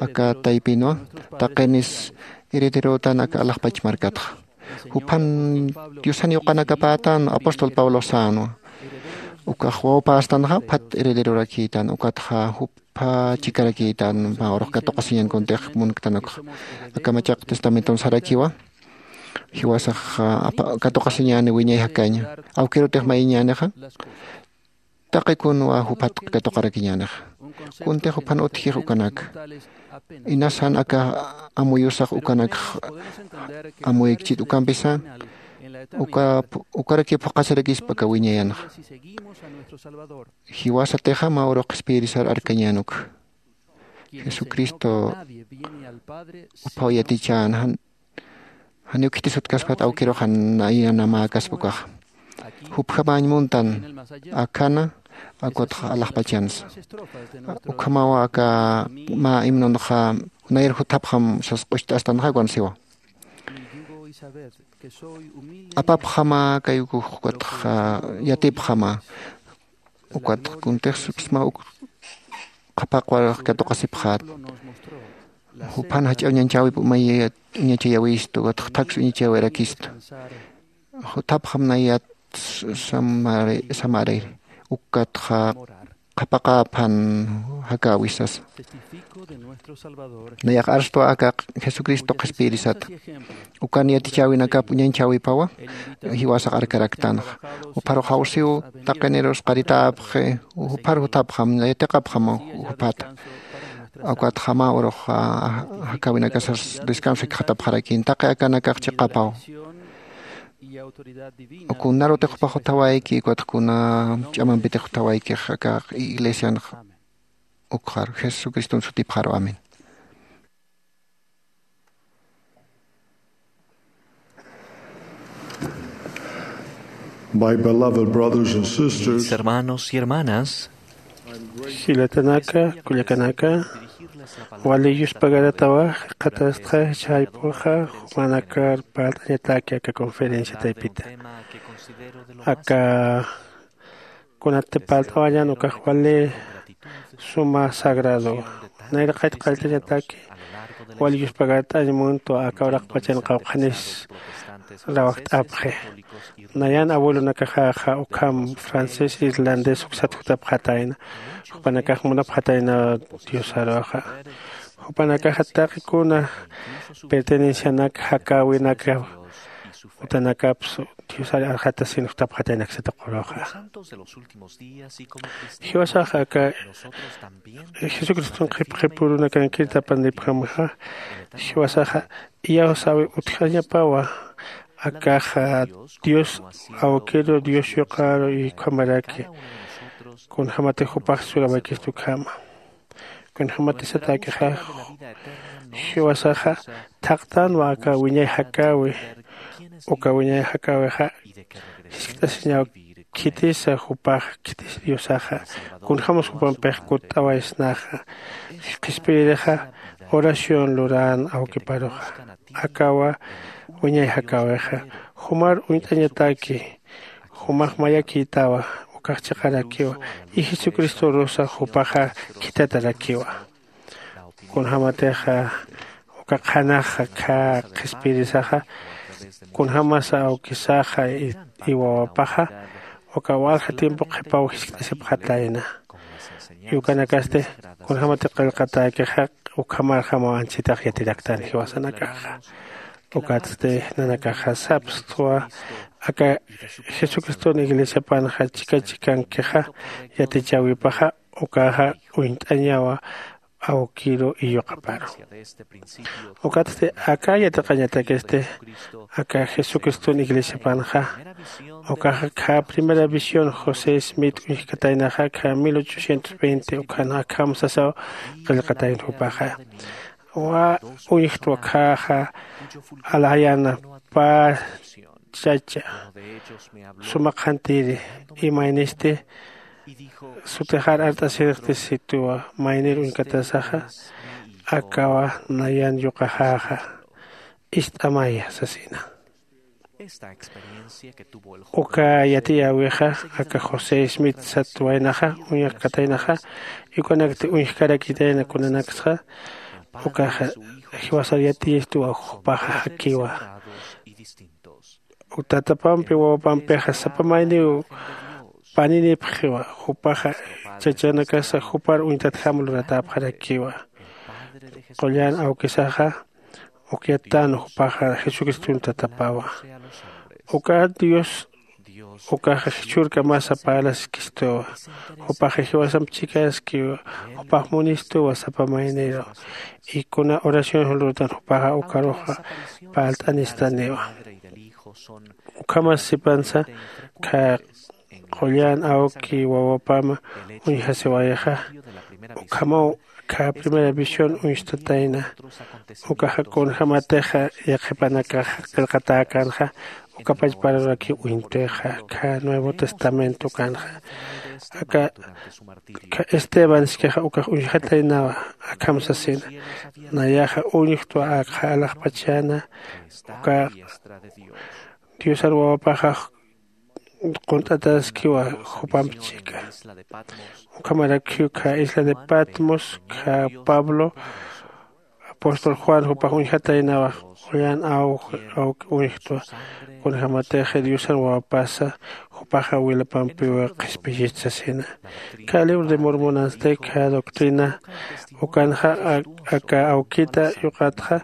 Aka taypinwa taqinis herederotan aka alaxpach markatxa. Juphan Diosan yuqanakapätan apóstol Pablo sänwa. Ukax wawpästanxa phat herederorakïtan, ukatxa jupha chikarakïtan mä urux katuqasiñan kuntix munktanukxa. Aka machaq testamenton sarakiwa. Jiwasax, ah, apa-, katuqasiñäni wiñay jakaña. Awkirutix mayiñänixa. Taqi kunwa juphat katuqarakiñänix. Kuntix juphan utjix ukanak. Inasan aka amuyusax ukanakx amuyikchit ukampisa. Uka, ukaraki phuqasirakispa aka wiñayanxa. Jiwasatixa mä urux qhispiyirisar arkañän uk. Jesucristo uphaw yatichän, jan, janiw khitis utjkaspat awkiruxa nayan mäkaspa ukaxa. Jupjamäñ muntan, akana, akutxa alaxpachansa. Ukhamawa aka mä himnonxa, nayar juthapxam sas q'ucht'astanxa ukan siwa. apapxama kay ukux ukatxa yatipxama. Ukat kuntixsipsma uk qhapaqwarax katuqasipxät. Juphan jach'a uñanchäwip umay uñachayawistu ukatxa thaks uñachayawirakistu. Jutapxam nayat samari ukatxa qhapaqäphan jakäwisasa. Nayax arstwa aka jesucristo qhispiyirisata. Ukan yatichäwinakap uñanchäwipawa jiwasax arkaraktanxa. Jupharux jawsiw taqinirus qaritäpxi. Juphar jutapxam yatiqapxam juphata. Ukatxama urux jakäwinakasas descanso jikxatapxarakin taqi akanakax chiqapaw. Kunarutix jupax jutawayki ukatx kuna ch'amampitix jutawaykix aka iglesianx. Ukxaru jesucriston sutipxaru amén. My beloved brothers and sisters, hermanos y hermanas, jilatanaka kullakanaka, wali yuspagaratawa qhatastxa chaypuxa jumanakar parlt'añataki aka conferencia taypita. Aka kunati parlt'awañan ukax wali suma sagrado. Nayraqayt qalltañataki wali yuspagart'añ muntwa aka uraqpachan qawqhanis rawajt'apxi. Nayan abuelonakaxaxa ukham francés irlandés uksat jutapxatayna. Jupanakax munapxatayna diosaruxa. Jupanakaxa taqi kuna pertenencianak jakäwinaka utanakapsu diosar arxatasin jutapxatayna aksata quruxa. Jiwasaxa aka jesucriston qhipqhipurunakankir tapanipjamaxa jiwasaxa iyawsäwi utjañapawa. Akaxa dios awkiru dios yuqaru y ukhamaraki kunjämatix jupax surawaykistu ukhama. Kunjämatisatakixa jiwasaxa thaqtänwa aka wiñay jakäwi. Uka wiñay jakäwixa jiskt'asiñaw khitisa jupax khitis diosaxa kunjämas jupampix kutt'awaysnaxa. Qhispiyirixa oración lurän awkiparuxa. Akawa wiñay jakäwixa jumar uñt'añataki. Jumax mayakïtawa ukax chiqarakiwa y jesucristorusa jupaxa khithatarakiwa. Kunjämatixa uka qhanaxa khä qhispiyirisaxa kunjämasa awkisaxa y wawapaxa uka walja tiempo qhipaw jiskt'asipxatayna. Y ukanakasti kunjämati qillqatäkixa ukhamarjamaw anchitax yatiraktan jiwasanakaxa. Ukatsti nanakaxa sapstwa aka jesucriston iglesiapanxa chika chikankixa yatichäwipaxa ukaxa uñt'añawa awkiru iyuqaparu. Ukatsti aka yatiqañatakisti aka jesucriston iglesiapanxa ukaxa khä primera visión josé smith uñjkataynaxa khä mil ochocientos veinte ukhan akham sasaw qillqatayna jupaxa. Uñjtwa khäxa alayana pä chacha suma qhantiri imaynisti sutixar art'asirixti situwa maynir uñkatasaxa. Akawa nayan yuqaxäxa ist'amaya sasina. Uka yatiyäwixa aka josé smith sat waynaxa uñjkataynaxa. Ukanakti uñjkarakitayna kunanaksxa ukaxa jiwasar yatiyistuwa jupaxa jakiwa. Tatapampi wawapampixa sapa mayniw paninipxiwa. Jupaxa chachanakasa jupar uñtatjam luratäpxarakiwa. Qullan awkisaxa ukyattan jupaxa jesucriston tatapawa. Uka dios ukaxa jichhürkamasa parlaskistuwa. Jupaxa jiwasamp chikaskiwa. Jupax munistuwa sapa mayniru. Y kuna oración julurutan jupaxa ukaruxa parlt'anistaniwa. Ukhamas sipansa khä qullan awki wawapama uñjasiwayaxa. Ukhamaw khä primera visión uñstatayna. Ukaxa kunjämatixa yaqhipanakaxa qillqatäkänxa Ukapachparurakiw uñtixa kha nuevo testamento kanxa. Aka kha esteban sikixa ukax uñjataynawa. Akham sasina nayaxa uñjtwa akxa alaxpachana uka diosar wawapaxax qunt'ataskiwa jupamp chika. Ukhamarakiw kha isla de patmos kha pablo apóstol juan jupax uñjataynawa. Qullan awki uñjtwa kunjämatix diosan wawapasa jupaxa wilapampiw qhispiyist sasina. Kha libro de mormonansti kha doctrina ukanxa aka awkita yuqatxa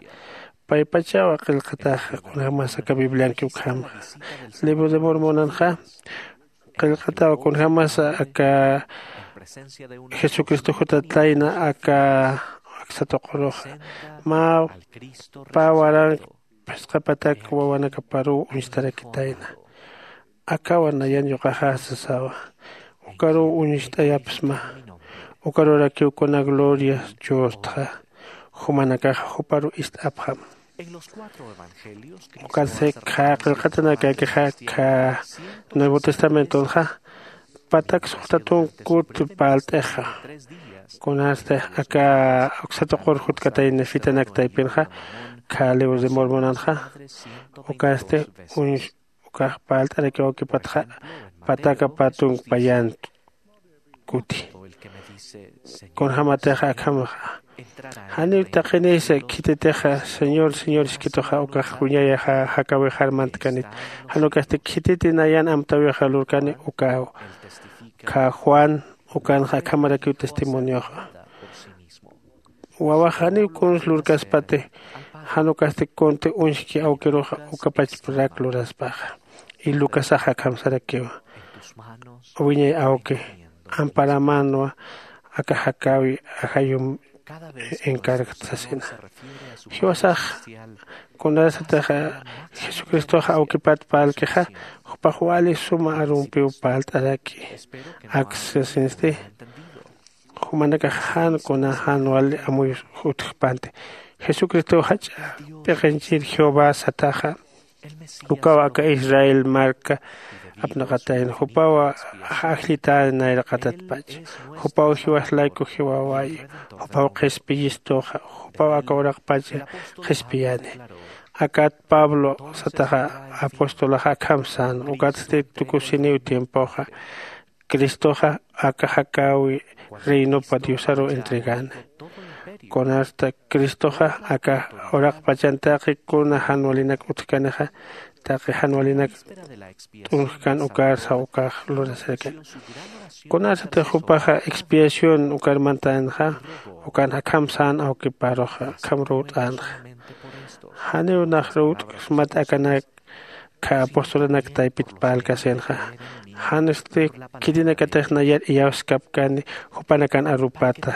paypachawa qillqataxa kunjämasa aka biblianki ukhamxa. Libro de mormonanxa qillqatawa kunjämasa aka jesucristo jutatayna aka aksa tuquruxa mä pä warank phisqa patak wawanakaparuw uñstarakitayna. Akawa nayan yuqaxa sasawa ukaruw uñst'ayapsma. Ukarurakiw kuna gloria chustxa jumanakaxa juparu ist'apxam. Ukatsti kha qillqatanakakixa kha nuevo testamentonxa patak suxta tunkut parlt'ixa. Kunasti aka uksa tuqur jutkatayna fitanak taypinxa kha libro de mormonanxa ukasti ukax parlt'arakiw awkipatxa pataka pä tunkpayan kuti. Kunjämatix akhamaxa janiw taqinisa khititixa señor señor iskituxa ukax wiñayaxa jakäwixar mantkanit. Jan ukasti khititi nayan amtäwixa lurkani ukaw kha juan ukanxa akhamarakiw testimonioxa. Wawax janiw kuns lurkaspati jan ukasti kunti uñjki awkiruxa ukapachparak luraspaxa. Y lucasaxa akham sarakiwa wiñay awki amparamanwa aka jakäwi ajayum encargat sasina. Jiwasax kunasatix jesucristoxa awkipat parlkixa jupax wali suma arumpiw parlt'araki. Aksa sasinsti jumanakax jan kuna jan wali amuy utjpanti. Jesucristow jach'a p'iqinchir jehová sataxa ukaw aka israel marka apnaqatayna jupaw ajllitäni nayraqatatpach. Jupaw jiwas layku jiwaway jupaw qhispiyistuxa jupaw aka uraqpacha qhispiyani. Akat pablo sataxa apostolaxa akham sän ukatsti tukusiniw tiempoxa cristoxa aka jakäwi reinopa diosaruw entregäni. Kunasta cristoxa aka uraqpachan taqi kuna jan walinak utjkanixa taqi jan walinak t'unjkan ukarsa ukax lurasarakan. Kunasatix jupaxa expiación ukar mantänxa ukan akham sän awkiparuxa akham ruwt'änxa. Janiw nax ruwt'ksmat akanak kha apostolanak taypit parlkasinxa. Jansti khitinakatix nayar iyawskapkani jupanakan arupata.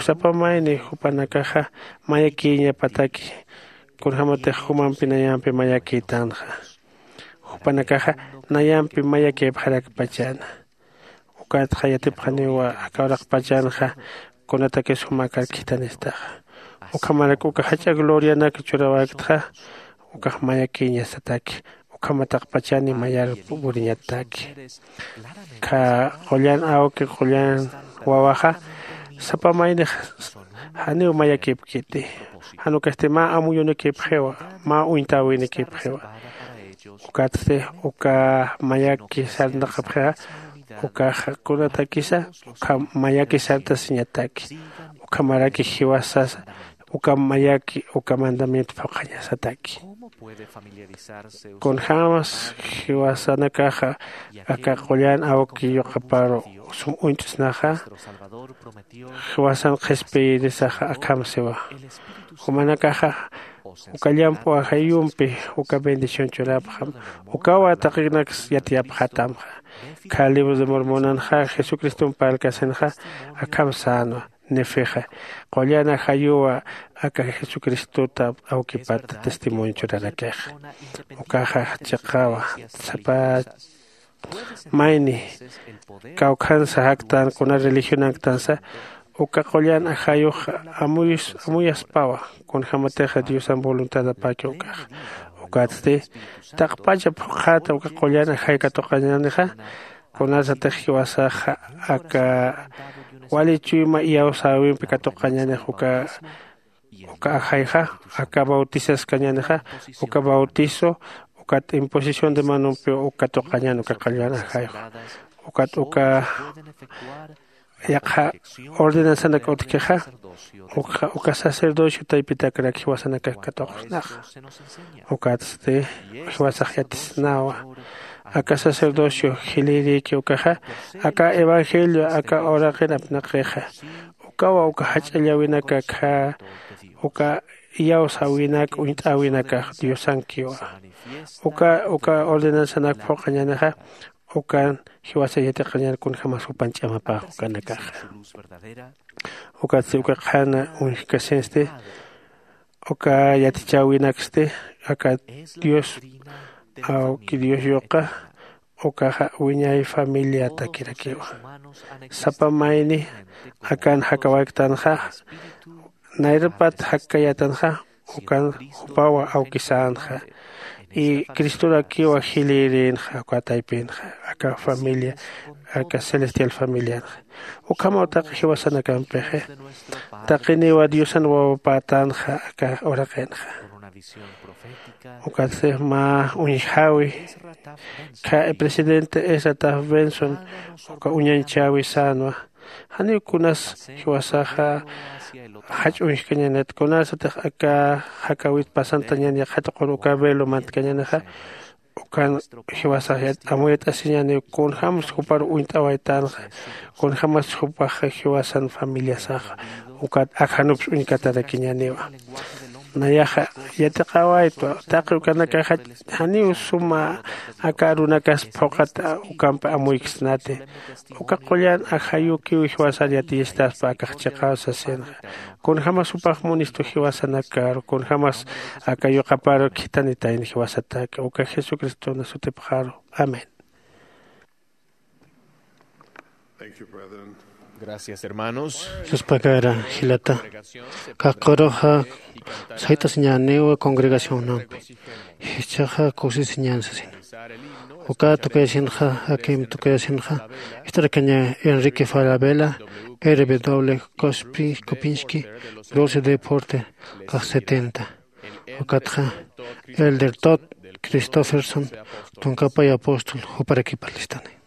Sapa mayni jupanakaxa mayakïñapataki kunjämatix jumampi nayampi mayakïtänxa. Jupanakaxa nayampi mayakïpxarakpachäna. Ukatxa yatipxaniwa aka uraqpachanxa kunatakis jumakar khithanistaxa. Ukhamarak uka jach'a glorianak churawäktxa ukax mayakïñasataki. Ukhamataqpachani mayar puriñataki. Kha qullan awki qullan wawaxa sapa maynix janiw mayakïpkiti. Jan ukasti mä amuyunakïpxiwa mä uñtäwinakïpxiwa. Ukatsti uka mayaki sarnaqapxixa ukaxa kunatakisa ukham mayaki sartasiñataki. Ukhamaraki jiwasasa uka mayaki uka mandamiento phuqhañasataki. Kunjämas jiwasanakaxa aka qullan awki yuqaparu sum uñt'snaxa jiwasan qhispiyirisaxa akham siwa. Jumanakaxa uka llamp'u ajayumpi uka bendición churapxam. Ukawa taqinaks yatiyapxatamxa. Kha libro de mormonanxa jesucristomp parlkasinxa akham sänwa. Nefixa qullan ajayuwa aka jesucristota awkipata testimonio churarakixa. Ukaxa chiqawa sapa mayni kawkhansa jaktan kuna religionanktansa uka qullan ajayux amuyaspawa. Kunjämatixa diosan voluntadapäki ukaxa. Ukatsti taqpacha phuqhata uka qullan ajay katuqañänixa, kunasatix jiwasaxa aka wali chuyma iyawsäwimpi katuqañänix uka uka ajayxa, aka bautizaskañänixa, uka bautizo ukat imposición de manumpiw uk katuqañän uka qullan ajayxa. Ukat uka yaqha ordenanzanak utjkixa, ukxa uka sacerdocio taypitakirak jiwasanakax katuqsnaxa. Ukatsti jiwasax yatisnawa. Aka sacerdocio jilïrïki ukaxa, aka evangelio aka uraqin apnaqixa, ukawa uka jach'allawinakakxa, uka iyawsäwinak uñt'äwinakax diosankiwa. Uka uka ordenanzanak phuqañänixa, ukan jiwasa yatiqañän kunjämas jupan ch'amapax ukanakaxa. Ukatsti uka qhana uñjkasinsti, uka yatichäwinaksti aka dios, awki dios yuqa, ukaxa wiñay familiatakirakiwa. Sapa mayni akan jakawayktänxa, nayrpat jakkayätanxa, ukan jupawa awkisänxa. Y cristorakiwa jilïrinxa uka taypinxa, aka familia, aka celestial familianxa. Ukhamaw taqi jiwasanakampixi, taqiniwa diosan wawapätanxa aka uraqinxa. Ukatsti mä uñjäwi, kha presidente esataf benson, uka uñañchäwi sänwa. Janiw kunas jiwasaxa jach'uñjkañänit, kunasatix aka jakawit pasantañän yaqha tuqur uka velo mantkañänixa, ukan jiwasax amuyat'asiñäniw kunjämas jupar uñt'awaytänxa, kunjämas jupax jiwasan familiasaxa ukat akjanups uñkatarakiñäniwa. Nayaxa yatiqawaytwa, taqi ukanakaxa janiw suma aka arunakas phuqhat ukampi amuyksnati. Uka qullan ajayukiw jiwasar yatiyistaspa akax chiqaw sasinxa. Kunjämas jupax munistu jiwasanakaru, kunjämas aka yuqaparu khithanitayni jiwasataki, uka jesucristona sutipxaru. Amén. Gracias, hermanos. Suspakara jilata. Kaqquruxa sayt'asiñäniwa congregacionnampi, jichhaxa kusisiñän sasina. Uka tukayasinxa, akim tukayasinxa ist'arakaña Enrique Falabella, R W Cospi Copinski, Gloria Deporte, caja setenta. Ukatxa Elder Todd Christofferson, tunkapay apóstol, juparakipalistani.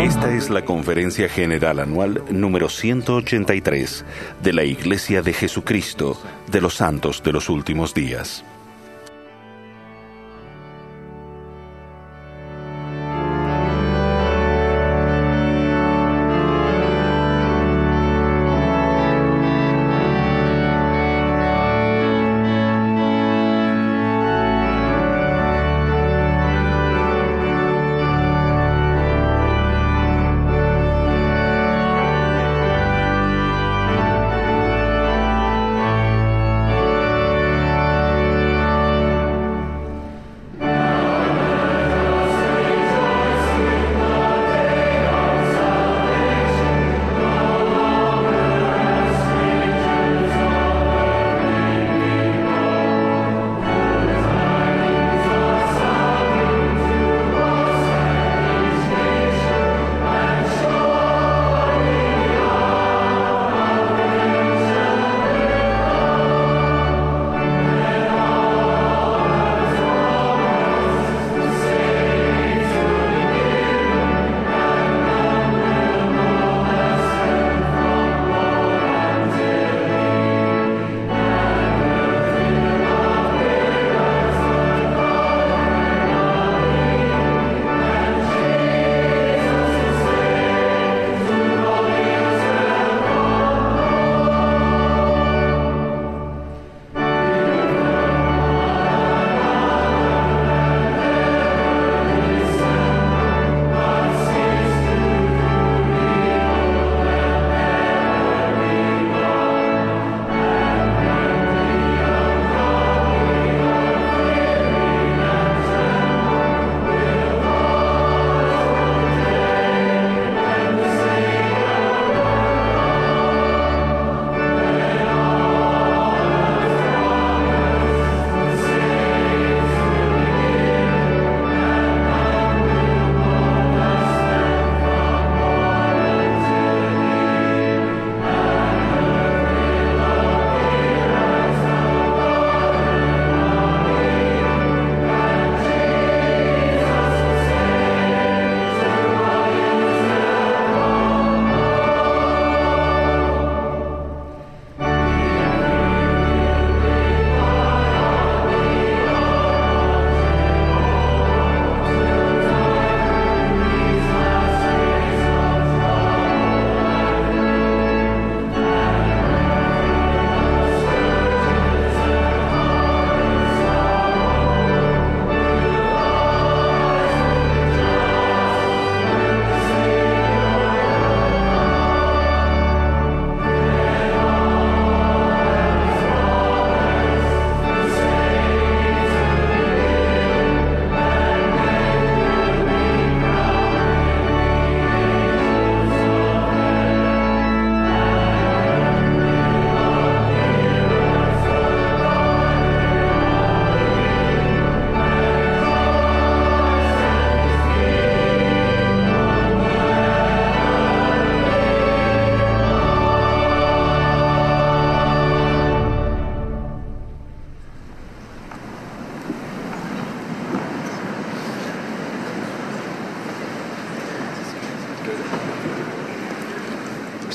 Esta es la conferencia general anual número ciento ochenta y tres de la Iglesia de Jesucristo de los Santos de los Últimos Días.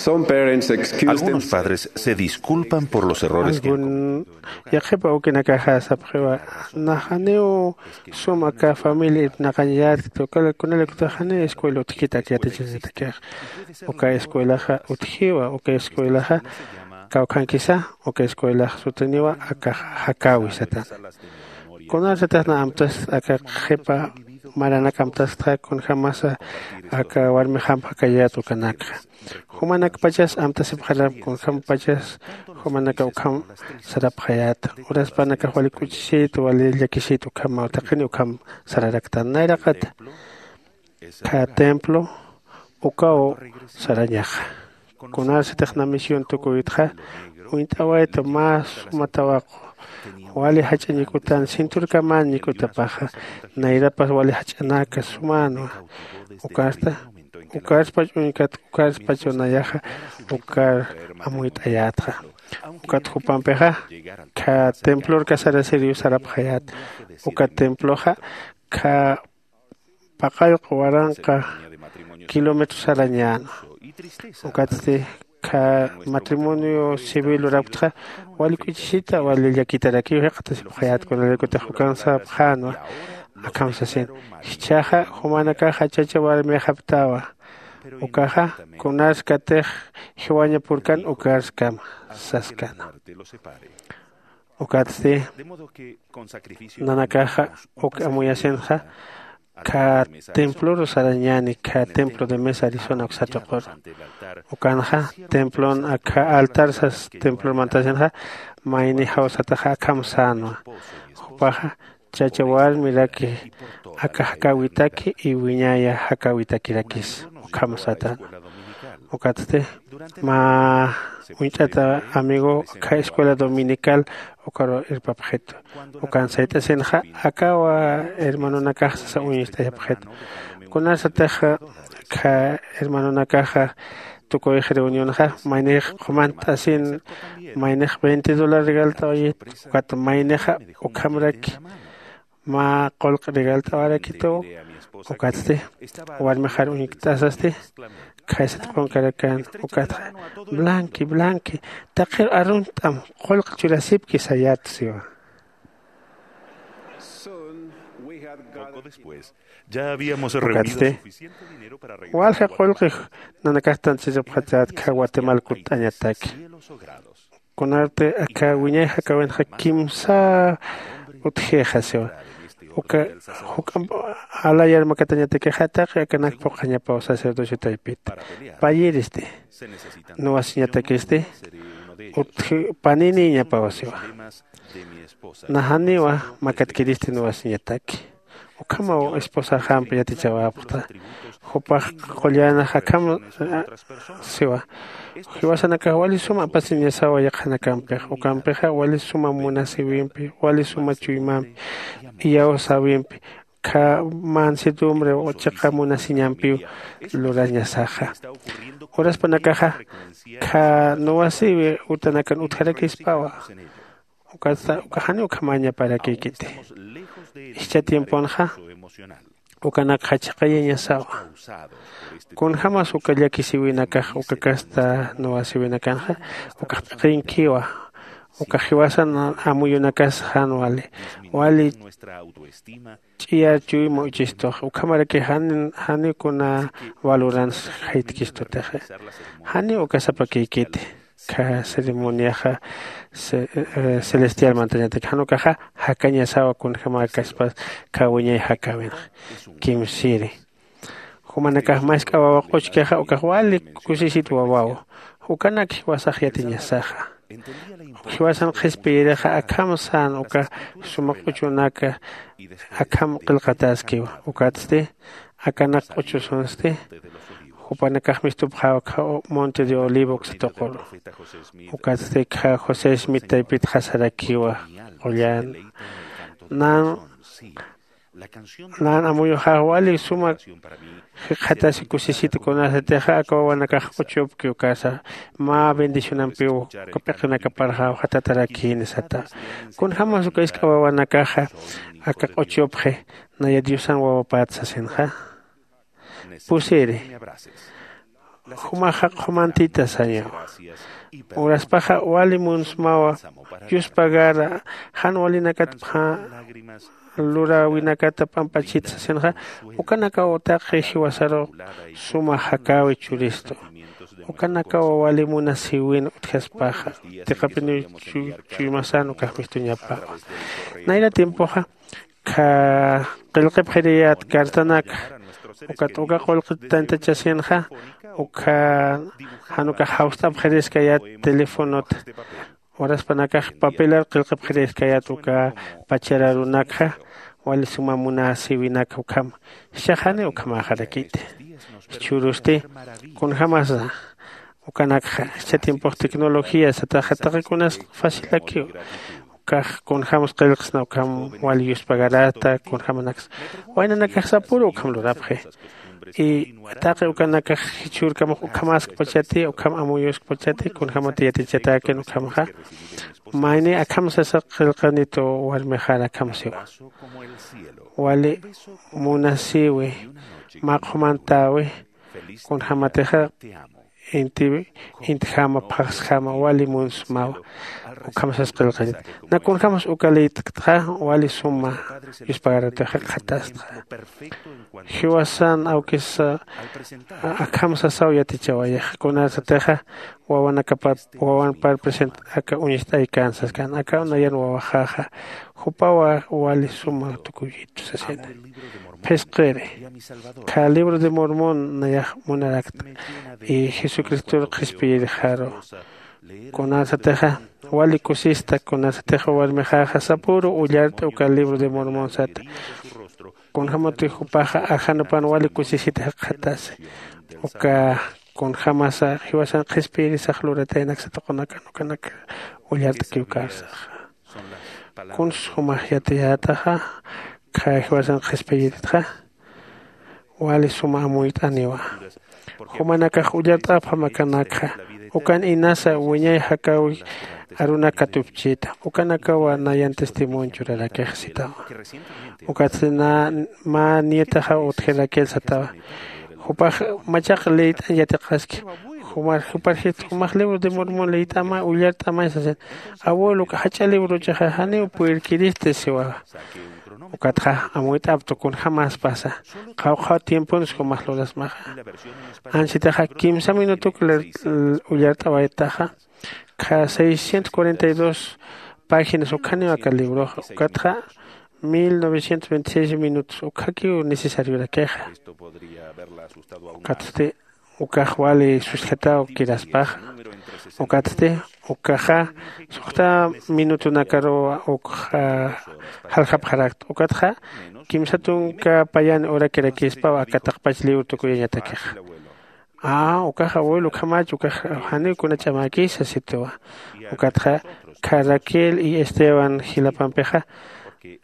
Algunos padres se disculpan por los errores que han cometido. Yaqhipa ukinakaxa sapxiwa, naxaniw sum aka familia irpnaqañ yätkta, uka kunalaykutix janiw escuela utjkit ak yatichañatakixa. Uka escuelaxa utjiwa, uka escuelaxa kawkhankisa, uka escuelax sutiniwa akax jakäwi satan. Kunarsatix na amtast aka qhipa maranak amtastxa, kunjämasa aka warmixamp jakayät ukanakxa. Jumanakpachas amtasipxaram, kunjämpachas jumanaka ukham sarapxayät. Uraspanakax wali k'uchisit, wali llakisït, ukhamaw taqini ukham sararaktan. Nayraqat kha templo ukaw sarañaxa. Kunarsatix na misión tukuytxa, uñt'awaytu mä suma tawaqu, wali jach'a ñikutan, cinturkaman ñikutapaxa, nayrapas wali jach'anaka sumänwa. Ukasta, ukarspach uñkat, ukarspach nayaxa, ukar amuyt'ayätxa. Ukat jupampixa kha templor kasarasiriw sarapxayät. Uka temploxa kha paqallq waranqa kilómetro sarañäna. Ukatsti kha matrimonio civil lurapktxa, wali k'uchisita, wali llakitarakiw jikxatasipxayät, kunalaykutix ukan sapxänwa. Akham sasin, jichhaxa jumanakaxa chacha warmixapktawa. Ukaxa kunarskatix jiwañapurkan ukarskama saskana. Ukatsti nanakaxa uk amuyasinxa kha temploru sarañäni, kha templo de mesa arizona uksa tuquru. Ukanxa templon akha altar sas templor mantasinxa, mayni jawsataxa akham sänwa. Jupaxa chacha warmiraki aka jakäwitaki y wiñaya jakäwitakirakis ukham satan. Ukatsti mä uñt'ata amigo kha escuela dominical ukaru irpapxitu. Ukan sayt'asinxa akawa hermanonakax sasa uñist'ayapxitu. Kunasatix kha hermanonakaxa tukuyx reunionxa, maynix qhumant'asin, maynix veinte dólar regalt'awayit, ukat maynixa ukhamraki mä qullq regalt'awarakitu. Ukatsti warmixar uñkt'asasti, khaysat qunkarakan, ukatxa, blanqui, blanqui, taqir arunt'am qullq churasipki sayät siwa. Ukatsti walja qullqi nanakax tantasirapxatät kha guatemala kutt'añataki. Kunarti aka wiñay jakäwinxa kimsa utjixa siwa. Uka juk'amp alayar makatañatakixa taqi akanak phuqhañapaw sacerdocio taypit. Payiristi, nuwasiñatakisti utji paninïñapaw siwa. Najaniwa makatkiristi nuwasiñataki. Ukhamaw esposaxamp yatichawapxta. Jupax qullänax akham siwa. Jiwasanakax wali suma apasiñasawa yaqhanakampix, ukampixa wali suma munasïwimpi, wali suma chuymampi, iyawsäwimpi, kha mansedumbre chiqa munasiñampiw lurañasaxa. Uraspanakaxa kha nuwasïwi utanakan utjarakispawa. Ukatsa uka jani ukhamañaparakïkiti. Jichha tiemponxa ukanakxa chiqayañasawa. Kunjämas uka llakisïwinakax uka kasta nuwasïwinakanxa ukax p'iqinkiwa. Uka jiwasan amuyunakas jan wali, wali ch'iyar chuyma uchistux, ukhamaraki jani, jani kuna valorans jaytkistutixi. Jani uka sapakïkiti. Kha ceremoniaxa celestial mantañataki jan ukaxa jakañasawa kunjämäkaspas kha wiñay jakäwinxa kimsiri. Jumanakax mask'a wawa q'uchkixa ukax wali kusisit wawaw. Ukanak jiwasax yatiñasaxa. Jiwasan qhispiyirixa akham sän uka suma q'uchunaka akham qillqatäskiwa. Ukatsti akanak q'uchusunsti jupanakax mistupxäwa kha monte de olivo uksa tuquru. Ukatsti kha josé smith taypitxa sarakiwa qullan, nan nan amuyuxax wali suma jikxatasi kusisita kunasatixa aka wawanakax q'uchupki ukasa mä bendicionampiw uka p'iqinakaparxaw jatatarakïni sata. Kunjämas uka isk'a wawanakaxa aka q'uchupxi naya diosan wawapät sasinxa. Pusiri. Jumaxa qhumantita sañawa. Uraspaxa wali munsmawa. Yuspagara jan walinakatpxa luräwinakata p'amp'achit sasinxa, ukanakaw taqi jiwasaru suma jakäwi churistu. Ukanakaw wali munasiwin utjaspaxa, tiqapiniw chu- chuymasan ukax mistuñapäwa. Nayra tiempoxa kha qillqipxiriyät cartanakxa, ukat uka qullqi tantachasinxa, ukha jan ukax jawst'apxiriskayät teléfonota. Uraspanakax papelar qillqipxiriskayät uka pachar arunakxa, wali suma munasiwinak ukham. Jichhax janiw ukhamäxarakiti. Jichhürusti kunjämasa ukanakxa, jichha tiempox tecnología sataxa taqi kunas facilakiw. Ukax kunjämsa qillqsna ukham wali yuspagarata kunjämanaksa. Waynanakax sapüru ukham lurapxi. Y taqi ukanakax jichhürkamax ukhamaskpachati, ukham amuyuskpachati, kunjämati yatichatäkin ukhamxa. Mayni akham sasa qillqanitu warmixar akham siwa. Wali munasiwi, mä qhumantäwi, kunjämatixa inti intjama phaxsjama wali munsmawa. Ukham sas qillqanit. Na kunjämas uka liyt'ktxa wali suma yuspagaratixa qhatastxa. Jiwasan awkis akham sasaw yatichawayax, kunasatixa wawanakapar wawanpar present aka uñist'aykän saskan, aka nayan wawaxaxa jupawa wali suma tukuyitu sasina. Phisqiri, kha libro de Mormon nayax munarakta, y Jesucristor qhispiyirixaru. Kunasatixa wali kusista, kunasatixa warmixaxa sapüru ullart'a uka libro de Mormon sata. Kunjämati jupaxa ajanapan wali kusisita jikxatasi. Uka kunjämasa jiwasan qhispiyirisax lurataynak satuqunakan ukanak ullart'kiw karsaxa. Kuns jumax yatiyätaxa, kha jiwasan qhispiyiritxa wali suma amuyt'aniwa. Jumanakax ullart'apxam akanakxa, ukan inasa wiñay jakäwi arunak katupchita, ukanakawa nayan testimonio churarakix sitawa. Ukatsti na mä nietaxaw utjirakir satawa. Jupax machaq liyt'añ yatiqaski, jumar juparjit jumax libro de Mormon liyt'ama ullart'amay sasin. Abuelo, uka jach'a librochaxa janiw purirkiristi siwa. Ukatxa amuyt'aptu kunjämaspasa, qhawqha tiemponsa jumax lurasmaxa. Ansitixa kimsa minutuk ullart'awaytaxa, kha seiscientos cuarenta y dos páginas ukhaniw aka libroxa. Ukatxa mil novecientos veintiséis minutos ukhakiw necesariorakixa. Ukatsti ukax wali susjataw kiraspaxa. Ukatsti ukaxa suxta minutunakaruw ukxa jaljapxarakta. Ukatxa kimsa tunka payani urakirakispaw aka taqpach libro tukuyañatakixa. A, ukax abuelo, ukhamach, ukax janiw kuna ch'amäkisa sitiwa. Ukatxa kha Raquel y Esteban jilapampixa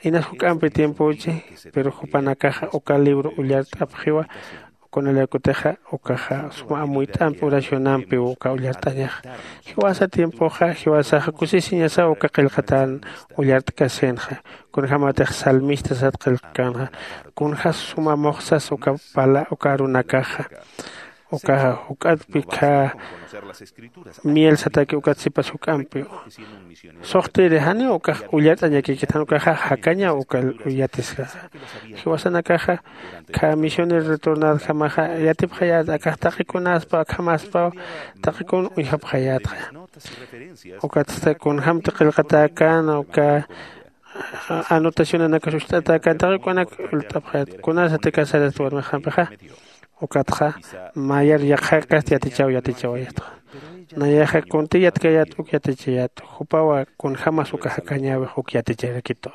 inas juk'ampi tiempochi, pero jupanakaxa uka libro ullart'apxiwa. Kunalaykutixa ukaxa suma amuyt'ampi oracionampiw uka ullart'añaxa. Jiwasa tiempoxa jiwasaxa kusisiñasaw uka qillqatan ullart'kasinxa. Kunjämatix salmista sat qillqkänxa, kunjas suma muxsas uka pala uka arunakaxa. Ukaxa juk'atpi kha miel sataki ukat sipas juk'ampiw. Suxtiri janiw ukax ullart'añakikit, jan ukaxa jakañaw uka yatiskaxa. Jiwasanakaxa kha misionero retornadjamaxa yatipxayät, akax taqi kunaspaw akhamaspaw taqi kun uñjapxayätxa. Ukatsti kunjämti qillqatäkän uka anotacionanakas ucht'atäkän taqi kunak ult'apxayät, kunasati casarasta warmixampixa. Ukatxa mayar yaqhakasti yatichaw yatichawayatxa. Nayaxa kunti yatkayät uk yatichayät, jupawa kunjämas uka jakañäwix uk yaticharakitux.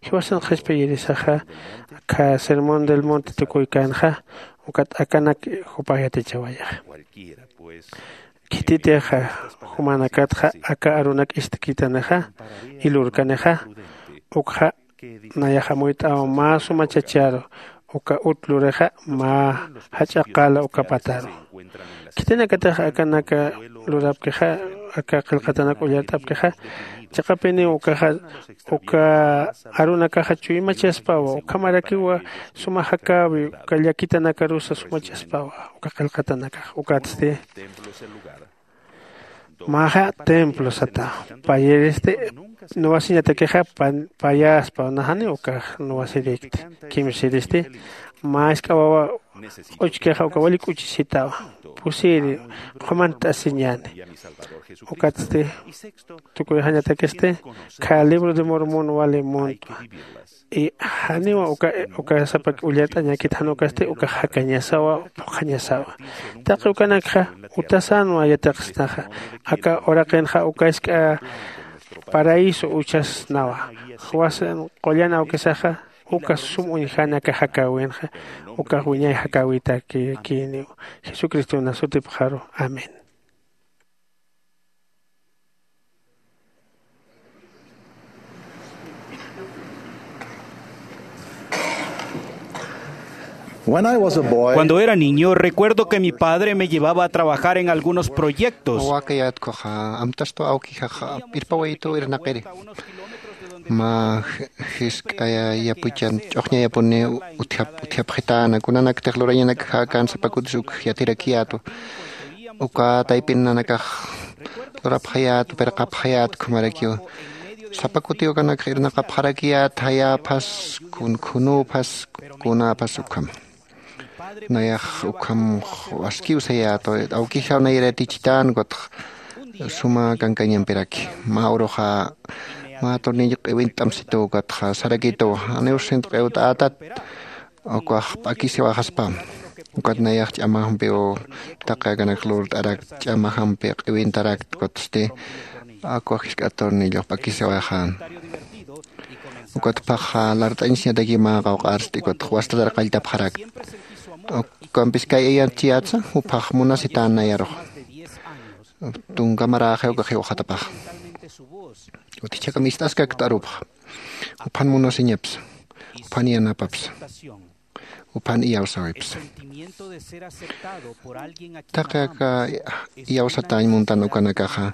Jiwasan qhispiyirisaxa kha Sermón del Monte tukuykänxa, ukat akanak jupax yatichawayaxa. Khititixa jumanakatxa aka arunak ist'kitanixa y lurkanixa, ukxa nayax amuyt'aw mä suma chacharu, uka ut lurixa mä jach'a qala uka pataru. Khitinakatix akanaka lurapkixa aka qillqatanak ullart'apkixa, chiqapiniw ukaxa, uka arunakaxa chuymachaspawa, ukhamarakiwa suma jakäwi, uka llakitanakarusa sumachaspawa uka qillqatanakax. Ukatsti, maxa templo sata, payiristi, nuwasiñatakixa pan-, payaspa, naxani ukax nuwasirikti, kimsiristi, mä isk'a wawa q'uchkixa uka wali k'uchisitawa, pusiri, qhumant'asiñäni. Ukatsti, tukuyxañatakisti, khä libro de Mormon wali muntwa. Y janiwa uka, uka sapak ullart'añäkit, jan ukasti ukax jakañasawa, phuqhañasawa. Taqi ukanakxa utasänwa yatiqsnaxa, aka uraqinxa uka isk'a paraíso uchasnawa. Jiwasan qullan awkisaxa, uka sum uñjani aka jakäwinxa, ukax wiñay jakäwitakïniw. Jesucristona sutipxaru. Amén. When I was a boy, Cuando era niño, recuerdo que mi padre me llevaba a trabajar en algunos proyectos. Wakayätkuxa, amtastu awkijaxa irpawayitu irnaqiri. Mä jisk'aya yapuchan ch'uxñayapuni utjap-, utjapxitäna, kunanaktix lurañanakax jakan sapa kutis uk yatirakiyätu. Uka taypin nanakax lurapxayät, pirqapxayät ukhamarakiw. Sapa kutiw ukanakax irnaqapxarakiyät, jayäphas, kun-, khunüphas, kunäphas ukham. Nayax ukham askiw sayät, awkijaw nayar yatichitän, ukatx suma kankañampiraki. Mä uruxa, mä tornillo q'iwint'amsitu, ukatxa sarakitu, janiw sint q'iwt'ätat, ukax p'akisiwaxaspa. Ukat nayax ch'amajampiw taqi akanak lurt'arakt, ch'amajampi q'iwintarakt, ukatsti, ukax jisk'a tornillox p'akisiwaxän. Ukat phaxa lart'añsiñataki mä qawq'arsti, ukat wastatar qalltapxarakt. Ukampis kay ayatchiyätsa, juphax munasitän nayarux. Tunka maraxi ukax jiwxatapax. Utjichhakam ist'askakt arupxa. Juphan munasiñapsa. Juphan yanapapsa. Juphan iyawsäwipsa. Taqi aka iyawsatäñ muntan ukanakaxa,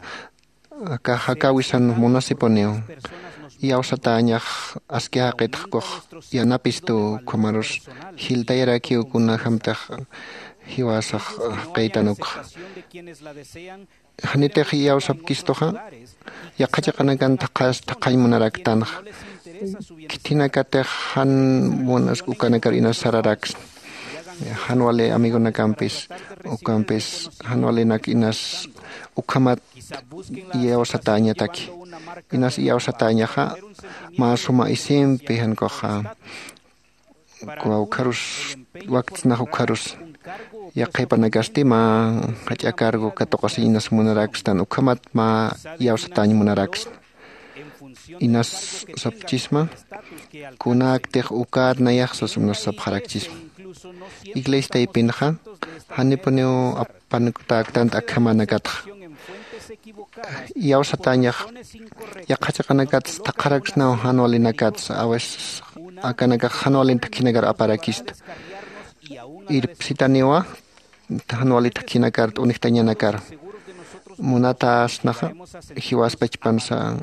aka jakäwisan munasipuniw. Iyawsatäñax aski jaqitx ukux yanapistu, ukhamarus jiltayarakiw kunjämtix jiwasax jaqïtan ukxa. Janitix iyawsapkistuxa, yaqha chiqanakan thaqhas, thaqhañ munaraktanxa. Khitinakatix jan munas ukanakar inas sararaksna. Jan wali amigonakampis, ukampis, jan walinak inas ukhamat iyawsatäñataki. Inas iyawsatäñaxa, mä suma isimpi jan ukxa, ukharus, waktsnax ukharus. Yaqhipanakasti mä jach'a cargo katuqasiñ inas munarakstan, ukhamat mä iyawsatäñ munaraksna. Inas sapxchisma, kunäktix ukat nayax sas unas sapxarakchisma. Iglesia taypinxa, janipuniw apanukutäktant akhamanakatxa. Iyawsatäñax, yaqha chiqanakats thaqharaksnaw jan walinakats, a veces akanakax jan walin thakhinakar aparakista. Irpsitaniwa, jan wali thakhinakar, t'unijtañanakar. Munatäsnaxa, jiwas pachpansa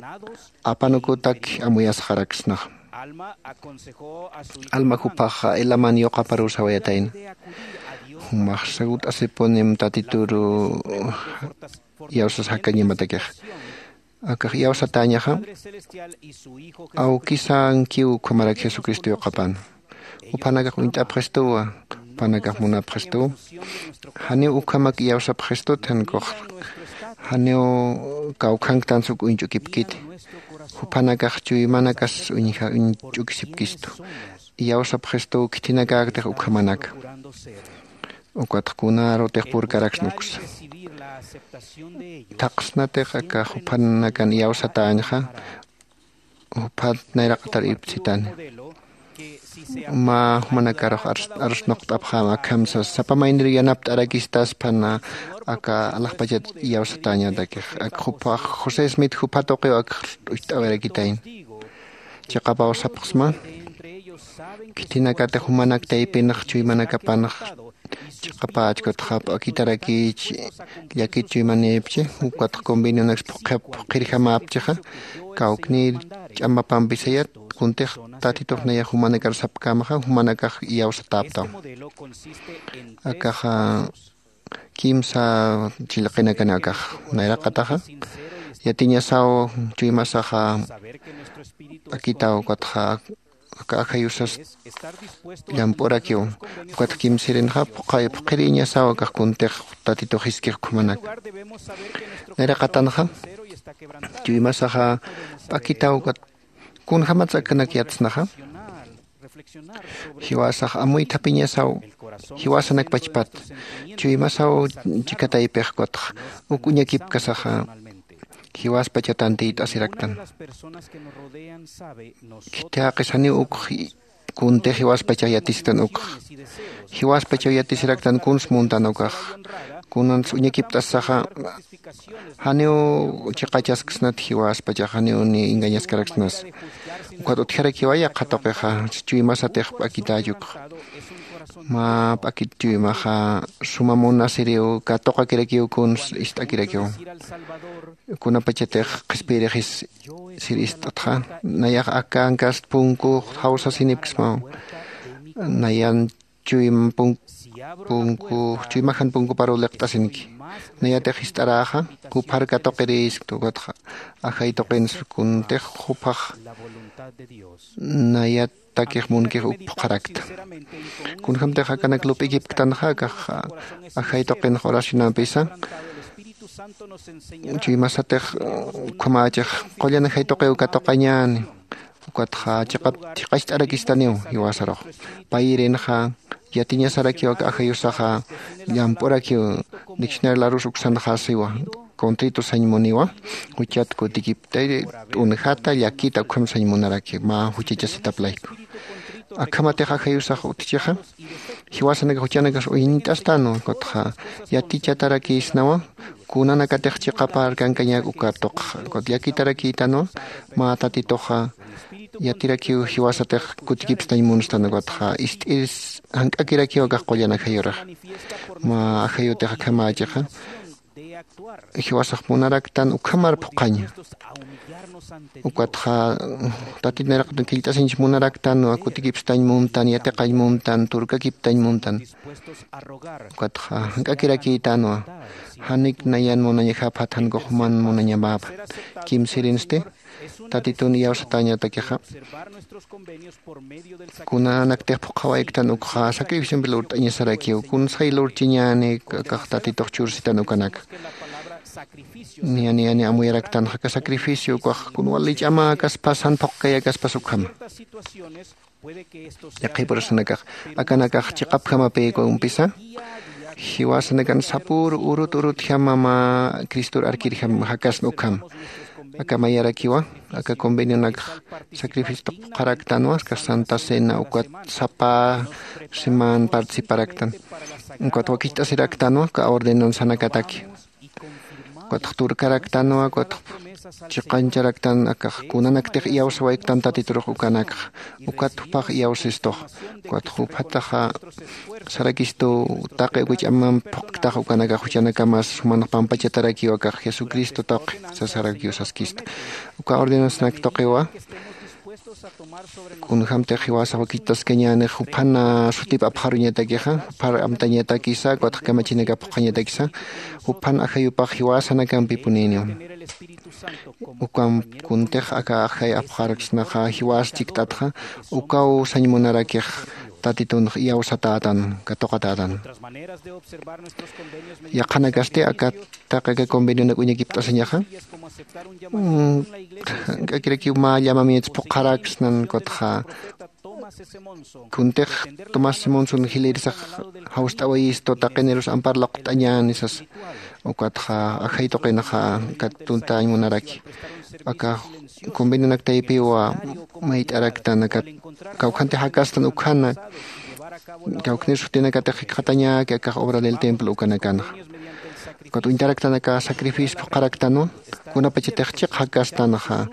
apanukutak amuyasxaraksnaxa. Alma juphaxa Elaman yuqaparuw sawayatayna. Jumax segurt'asipunim Tatituru iyawsas jakañamatakixa. Akax iyawsatäñaxa, awkisankiw ukhamarak Jesucristo yuqapan. Juphanakax uñt'apxistuwa, juphanakax munapxistuwa. Janiw ukhamak iyawsapxistut, jan ukux janiw kawkhanktansa uk uñch'ukipkiti. Juphanakax chuymanakas uñja-, uñch'ukisipkistu. Iyawsapxistuw khitinakäktix ukhamanaka. Ukatx kunarutix purkaraksna uksa. Thaqsnatix aka juphanakan iyawsatäñxa, juphat nayraqatar irpsitani. Mä jumanakarux arus-, arusnuqt'apxäma akham sas, sapa maynir yanapt'arakistaspan aka alaxpachat iyawsatäñatakix. Ak jupha José Smith jupha tuqiw ak ucht'awirakitayna. Chiqapaw sapxsma, khitinakatix jumanak taypinx chuymanakapanx Chiqapäch ukatxa p'akitarakïchi llakit chuymanïpchi, ukatxa convenionaks phuqhirjamäpchixa, kawknïr ch'amapampisayat kuntix Tatitux nayax jumanakar sapkämaxa, jumanakax iyawsatäptam. Akaxa kimsa chillqinakani akax. Nayraqataxa yatiñasaw chuymasaxa p'akitaw ukatxa aka ajayusas llamp'urakiw. Ukatxa kimsirinxa phuqay phuqhiriñasaw akax kuntix Tatitux jiskix ukhamanaka. Nayraqatanxa chuymasaxa p'akitaw ukat kunjämatsa akanak yatsnaxa. Jiwasax amuythapiñasaw jiwasanak pachpat. Chuymasaw chika taypix ukatxa uk uñakipkasaxa jiwaspachaw tantiyt'asiraktan. Khithaqis janiw ukx kuntix jiwaspachaw yatisktan ukx. Jiwaspachaw yatisiraktan kuns muntan ukax. Kunans uñakipt'asaxa janiw chiqachasksnat jiwaspachax, janiw ni engañaskaraksnas. Ukat utjarakiwa yaqha tuqixa chuymasatix p'akitäch ukx. Mä p'akit chuymaxa suma munasiriw katuqakirakiw kuns ist'akirakiw. Kunapachatix qhispiyirixis sir ist'atxa, nayax aka ankast punkux jawsasinipksmaw. Nayan chuym punk punkux chuymajan punkuparuw liqt'asinki. Nayatix ist'aräxa juphar katuqirïskta ukatxa ajay tuqins kuntix juphax nayat takix munkix uk phuqharakta. Kunjämtix akanak lup'ikipktanxa akax ajay tuqinx oracionampisa chuymasatix ukhamächix qullan ajay tuqiw katuqañäni. Ukatxa chiqap chiqacht'arakistaniw jiwasarux. Payirinxa yatiñasarakiw aka ajayusaxa llamp'urakiw. Diccionario Larousse uksanxa siwa contrito sañ muniwa juchat kutikiptay t'unjata llakita ukham sañ munaraki mä juchachasitap layku. Akhamatix ajayusax utjichixa jiwasanakax juchanakas uñt'astanwa ukatxa yatichatarakïsnawa kunanakatix chiqapar kankañak uka tuqxa ukat llakitarakïtanwa mä Tatituxa yatirakiw jiwasatix kutikipstañ munstan ukatxa ist'ir jank'akirakiw akax qullan ajayurix. Mä ajayutix akhamächixa jiwasax munaraktan ukhamar phuqhaña. Ukatxa Tatit nayraqatun killt'asiñch munaraktanwa kutikipstañ muntan, yatiqañ muntan, turkakiptañ muntan. Ukatxa jank'akirakïtanwa janik nayan munañaxa phathankux juman munañamäpan. Kimsirinsti Tatitun iyawsatäñatakixa kunanaktix phuqhawayktan ukxa sacrificiompi lurt'añasarakiw kunsay lurchiñäni. Akax Tatitux chursitan ukanaka. Niya niya niya amuyaraktanxa aka sacrificio ukax kun wali ch'amäkaspas jan phuqkayakaspas ukhama. Yaqhipurasanakax akanakax chiqapjamapïkumpisa jiwasanakan sapür urut urutjama mä Cristor arkirjam jakasna ukham. Aka mayarakiwa aka convenionakx sacrificio tuqpxaraktanwa aka Santa Cena ukat sapa siman participaraktan. Ukat wakicht'asiraktanwa aka ordenanzanakataki. Ukatx turkaraktanwa ukatx chiqancharaktan akax kunanaktix iyawsawayktan Tatiturux ukanakxa. Ukat jupax iyawsistux. Ukatx jupataxa sarakistu taqi uka ch'amamp phuqktax ukanakax juchanakamas jumanx pampachatarakiw akax Jesucristo tuqi sasarakiw saskista. Uka ordenanzanak tuqiwa kunjämtix jiwasax wakichtaskañänix juphan sutip apxaruñatakixa juphar amtañatakisa ukatx kamachinakap phuqhañatakisa juphan ajayupax jiwasanakampipunïniw. Ukamp kuntix aka ajay apxaraksnaxa jiwas chikt'atxa ukaw sañ munarakix Tatitunx iyawsatätan katuqatätan. Yaqhanakasti aka taqi aka convenionak uñakipt'asiñaxa jank'akirakiw mä llamamientos phuqharaksnan ukatxa kuntix Tomás Simonson jilïrisax jawst'awayistu taqinirus ampar luqt'añäni sasa. Ukatxa ajay tuqinxa aka tuntañ munaraki aka convenionak taypiwa mayt'araktan aka kawkhanti jakastan ukhana kawkhnir sutinakatix jikxatañäki akax obra del templo ukanakanxa. Ukat uñtaraktan aka sacrificio phuqharaktanwa kunapachatix chiq jakastanxa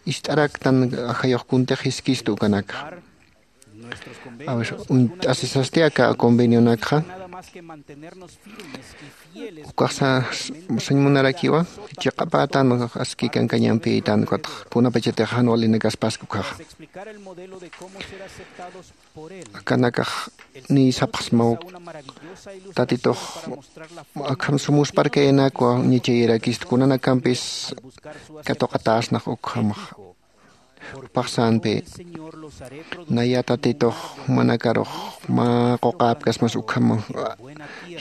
ist'araktan ajayux kuntix jiskistu ukanakxa. Uñt'asisasti aka convenionakxa. Ukaxsa sañ munarakiwa, chiqapätan aski kankañampitan ukatx kunapachatix jan walinakaspaski ukhaxa. Akanakax niy sapxsmaw tatitux akham sumusparkayanakwa ñichayirakistu kunanakampis katuqatäsnax ukhamax. Jupaxsänpi naya tatitux manakarux mä quqäpkasmas ukham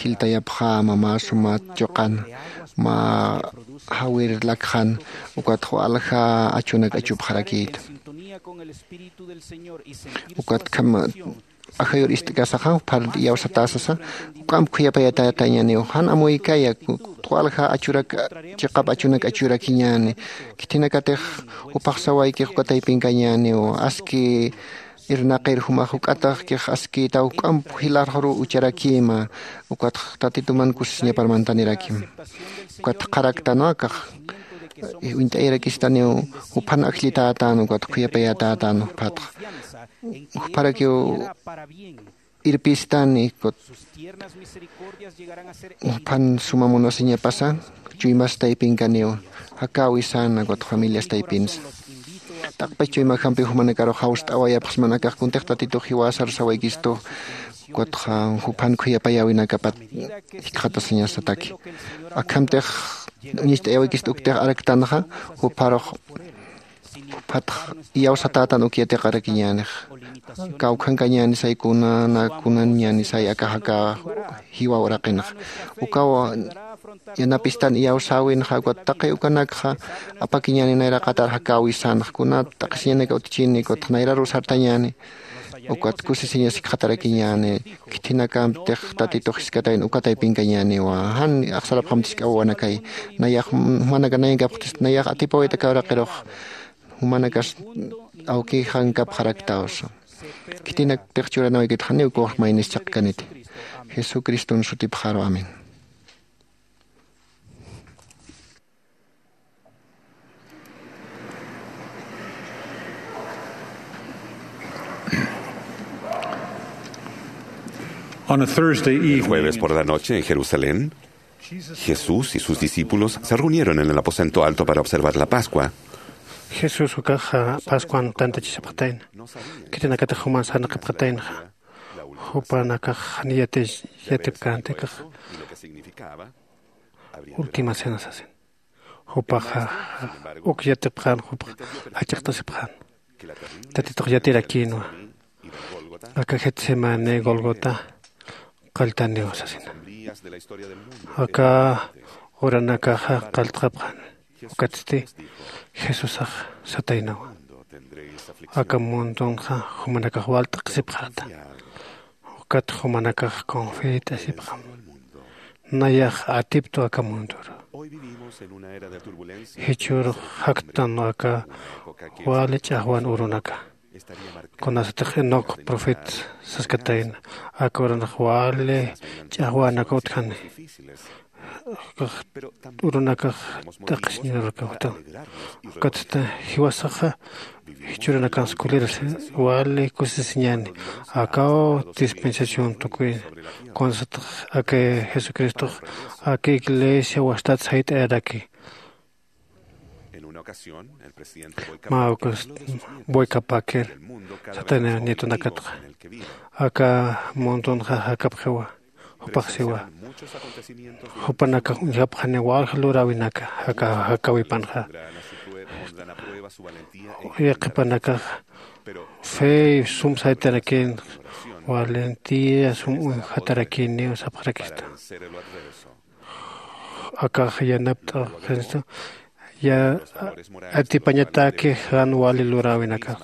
jiltayapxäma mä suma chuqan mä jawir lakxan ukatx walja achunak achupxarakïta. Ukatkham ajayur ist'kasaxa phar iyawsatäsasa juk'amp khuyapayatatañäniw jan amuykaya walja achurak chiqap achunak achurakiñäni. Khithinakatix jupax sawaykix uka taypinkañäniw aski irnaqir jumax juk'ataxkix askïtaw juk'amp jilarxuruw ucharakïma. Ukatx tatituman kusisiñapar manthanirakim. Ukat qharaktanwa akax uñt'ayarakistaniw juphan ajllitätän ukat khuyapayätätän juphatxa. Jupharakiw irpistani juphan suma munasiñapasa chuymas taypinkaniw jakäwisana ukat familias taypinsa. Taqpach chuymajampi jumanakarux jawst'awayapxsman akax kuntix tatitux jiwasar sawaykistu ukatxa juphan khuyapayäwinakapat jikxatasiñasataki. Akhamtix uñacht'ayäwikist uktix araktanxa jupharux juphatx iyawsatätan uk yatiqarakiñänix. Kawkhankañänisay kunana kunanñänisay akax aka jiwa uraqinxa ukaw yanapistan iyawsäwinxa ukat taqi ukanakxa apakiñäni nayraqatar jakäwisanxa kunat t'aqhisiñanaka utjchini ukatx nayraruw sartañäni. Ukat kusisiñas jikxatarakiñäni. Khithinakamptix tatitux jiskatayna uka taypinkañäniwa jan axsarapxamtisk'awawanakay. Nayax jumanaka nayankapxtist nayax atipawayta kawraqirux jumanakas awkixankapxaraktawsa. Khitinaktix churanawaykitkxaniw kuwax maynis chaqkaniti jesucriston sutipxaru amén. On a Thursday El evening jueves por la noche en Jerusalén, Jesús y sus discípulos se reunieron en el aposento alto para observar la Pascua. Jesús ukaxa pascuan tantachisipxatayna. Khitinakatix juman sarnaqipxataynaxa jupanakax jani yatipkänti akax última cena sasin. Jupaxa uk yatipxän jupax jach'iqtasipxän tatitux yatirakïnwa. Aka getsemani golgota qalltaniw sasina. Aka uranakaxa qalltxapxani. Ukatsti jesusax sataynawa aka mundunxa jumanakax wal t'aqhisipxäta. Ukat jumanakax confit'asipxam nayax atiptu aka mundur. Jichhürux jaktanwa aka wali ch'axwan urunaka. Kunasatix enoc profet saskatayna aka urunakax wali ch'axwanaka utjani. Urunakax t'aqhisiñurakaw jutaw. Ukatsta jiwasaxa jichhürunakans kuliras wali kusisiñäni. Akaw dispensación tukuyna kunasatix aka jesucristox aka iglesia wastat sayt'ayaraki. Mä ukas boyka paker satayna nietonakatxa aka mundunxa jakapxiwa. Jupax siwa jupanakax uñjapxani walja luräwinaka aka jakäwipanxa. Yaqhipanakax fe sum saytarakïn valentía sum uñjatarakïniw sapxarakista. Akax yanapt'axinstu ya atipañataki jan wali luräwinakax.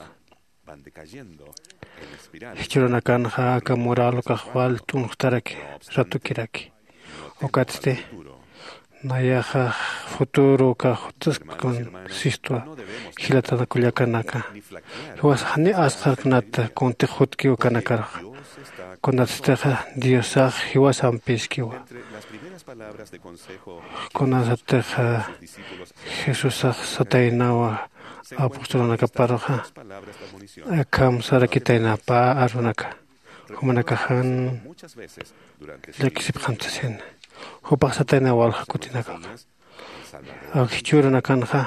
Jichhürunakanxa aka mural ukax wal t'unxtaraki ratukiraki. Ukatsti nayaxa futuro ukax jutsaskun sistwa. Jilatana kullakanaka jiwasax jani asqharknata kuntix jutkiw ukanakaruxa. Kunatstixa diosax jiwasampiskiwa. Kunasatixa jesusax sataynawa apostolunakaparuxa akham sarakitayna pä arunaka. Jumanakaxan llakisipxamtasina. Jupax satayna walja kutinakaxa. Ak jichhürunakanxa